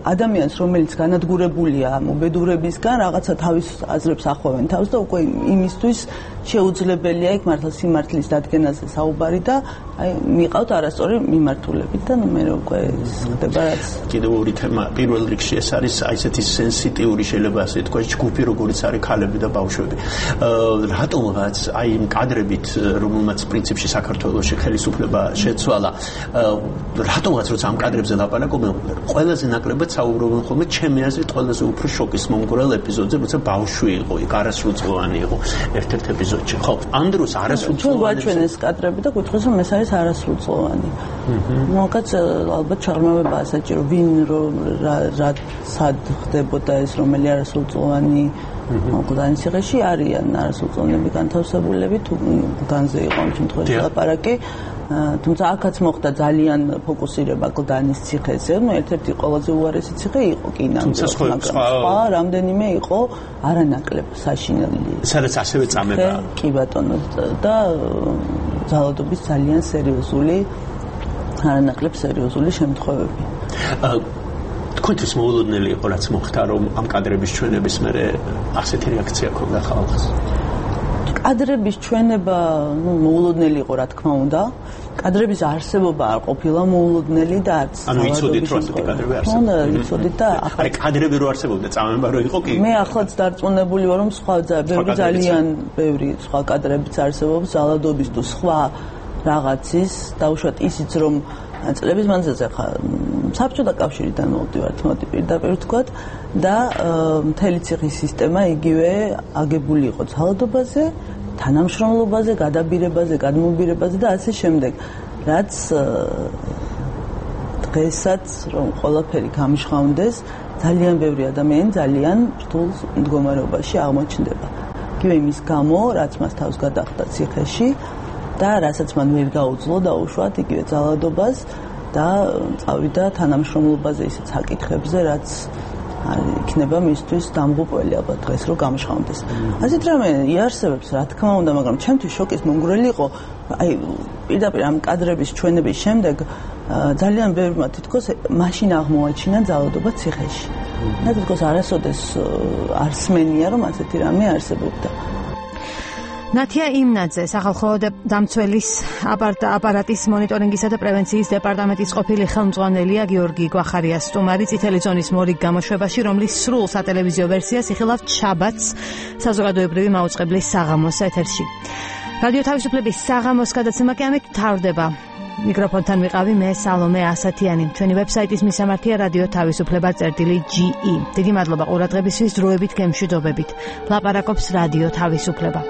ადამიანს, რომელიც განადგურებულია ამ უბედურებისგან, რაღაცა თავის აზრებს ახვევენ თავს და უკვე იმისთვის შეუძლებელია იქ მართლა სიმართლის დადგენაზე საუბარი და აი მიყავთ არასწორი მიმართულებით და მე უკვე ხდება რაც კიდევ ორი თემა. პირველ რიგში ეს არის აი ესეთი სენსიტიური შეიძლება ასე თქვა ჯგუფი, როგორც არის ქალები და ბავშვები. რატომღაც აი იმ კადრებით, რომელმაც პრინციპში საქართველოში ხელისუფლება შეცვალა, რატომღაც როცა ამ კადრებზე ლაპარაკობენ, ყველაზე ნაკლებად საუბრობენ ხოლმე ჩემი აზრით ყველაზე უფრო შოკის მომგვრელ ეპიზოდზე, როცა ბავშვი იყო, იქ არასრულწლოვანი იყო ერთ-ერთ ეპიზოდში. ხო, ამ დროს არასრულწლოვანი გვაჩვენეს კადრები და გითხოს რომ ეს არის არასრულწლოვანი. მოგაც ალბათ ჩაღრმავებაა საჭირო, ვინ რა სად ხდებოდა ეს რომელი არასრულწლოვანი მოგდანი ციხეში არიან არასრულწლოვანები განთავსებულები თუ განზე იყო ამ შემთხვევაში ლაპარაკი. თუმცა აქაც მოხდა ძალიან ფოკუსირება კლდანის ციხეზე, ერთ-ერთი ყველაზე უარესი ციხე იყო კი ნამდვილად, მაგრამ სხვა რამდენიმე იყო არანაკლებ საშინელი. სადაც ასევე წამება. კი ბატონო და ძალადობის ძალიან სერიოზული, არანაკლებ სერიოზული შემთხვევები. თქვენთვის მოულოდნელი იყო რაც მოხდა, რომ ამ კადრების ჩვენების მერე ასეთი რეაქცია ჰქონდა ხალხს? კადრების ჩვენება მოულოდნელი იყო, რა თქმა უნდა. კადრების არსებობა არ ყოფილა მოულოდნელი და არც ანუ იცოდით რომ ასეთი კადრები არსებობს. იცოდით და ახლა კადრები რო არსებობდა წამება რო იყო კი. მე ახლაც დარწმუნებული ვარ რომ სხვა ძალიან ბევრი სხვა კადრებიც არსებობს ზალადობის თუ სხვა რაღაცის დაუშვათ ისიც რომ წლების მანძილზე ხა საბჭოთა კავშირიდან მოვდივართ მოდი პირდაპირ ვთქვათ და მთელი ციხის სისტემა იგივე აგებული იყო ძალადობაზე, თანამშრომლობაზე, გადაბირებაზე, გადმობირებაზე და ასე შემდეგ. რაც დღესაც რომ ყველაფერი გამიშხავნდეს, ძალიან ბევრი ადამიანი ძალიან რთულ მდგომარეობაში აღმოჩნდება. იგივე იმის გამო, რაც მას თავს გადახვდა ციხეში და რასაც მან ვერ გაუძლო დაუშვათ იგივე ძალადობას და წავიდა თანამშრომლობაზე ისეთ საკითხებზე, რაც იქნება მისთვის დამღუპველი ალბათ დღეს რომ გამიშხავნდეს. ასეთ რამე იარსებებს რა თქმა უნდა, მაგრამ ჩემთვის შოკის მომგვრელი იყო აი პირდაპირ ამ კადრების ჩვენების შემდეგ ძალიან ბევრმა თითქოს მაშინ აღმოაჩინა ძალადობა ციხეში. და თითქოს არასოდეს არ სმენია რომ ასეთი რამე არსებობდა. ნათია იმნაძე, სახალხო დამცველის აპარატის მონიტორინგისა და პრევენციის დეპარტამენტის ყოფილი ხელმძღვანელია, გიორგი გვახარიას სტუმარი წითელი ზონის მორიგ გამოშვებაში, რომლის სრულ სატელევიზიო ვერსიას იხილავთ შაბათს საზოგადოებრივი მაუწყებლის საღამოს ეთერში. რადიო თავისუფლების საღამოს გადაცემა კი ამით მთავრდება. მიკროფონთან ვიყავი მე სალომე ასათიანი. ჩვენი ვებსაიტის მისამართია რადიო თავისუფლება.ge. დიდი მადლობა ყურადღებისთვის, დროებით გემშვიდობებით. ლაპარაკობს რადიო თავისუფლება.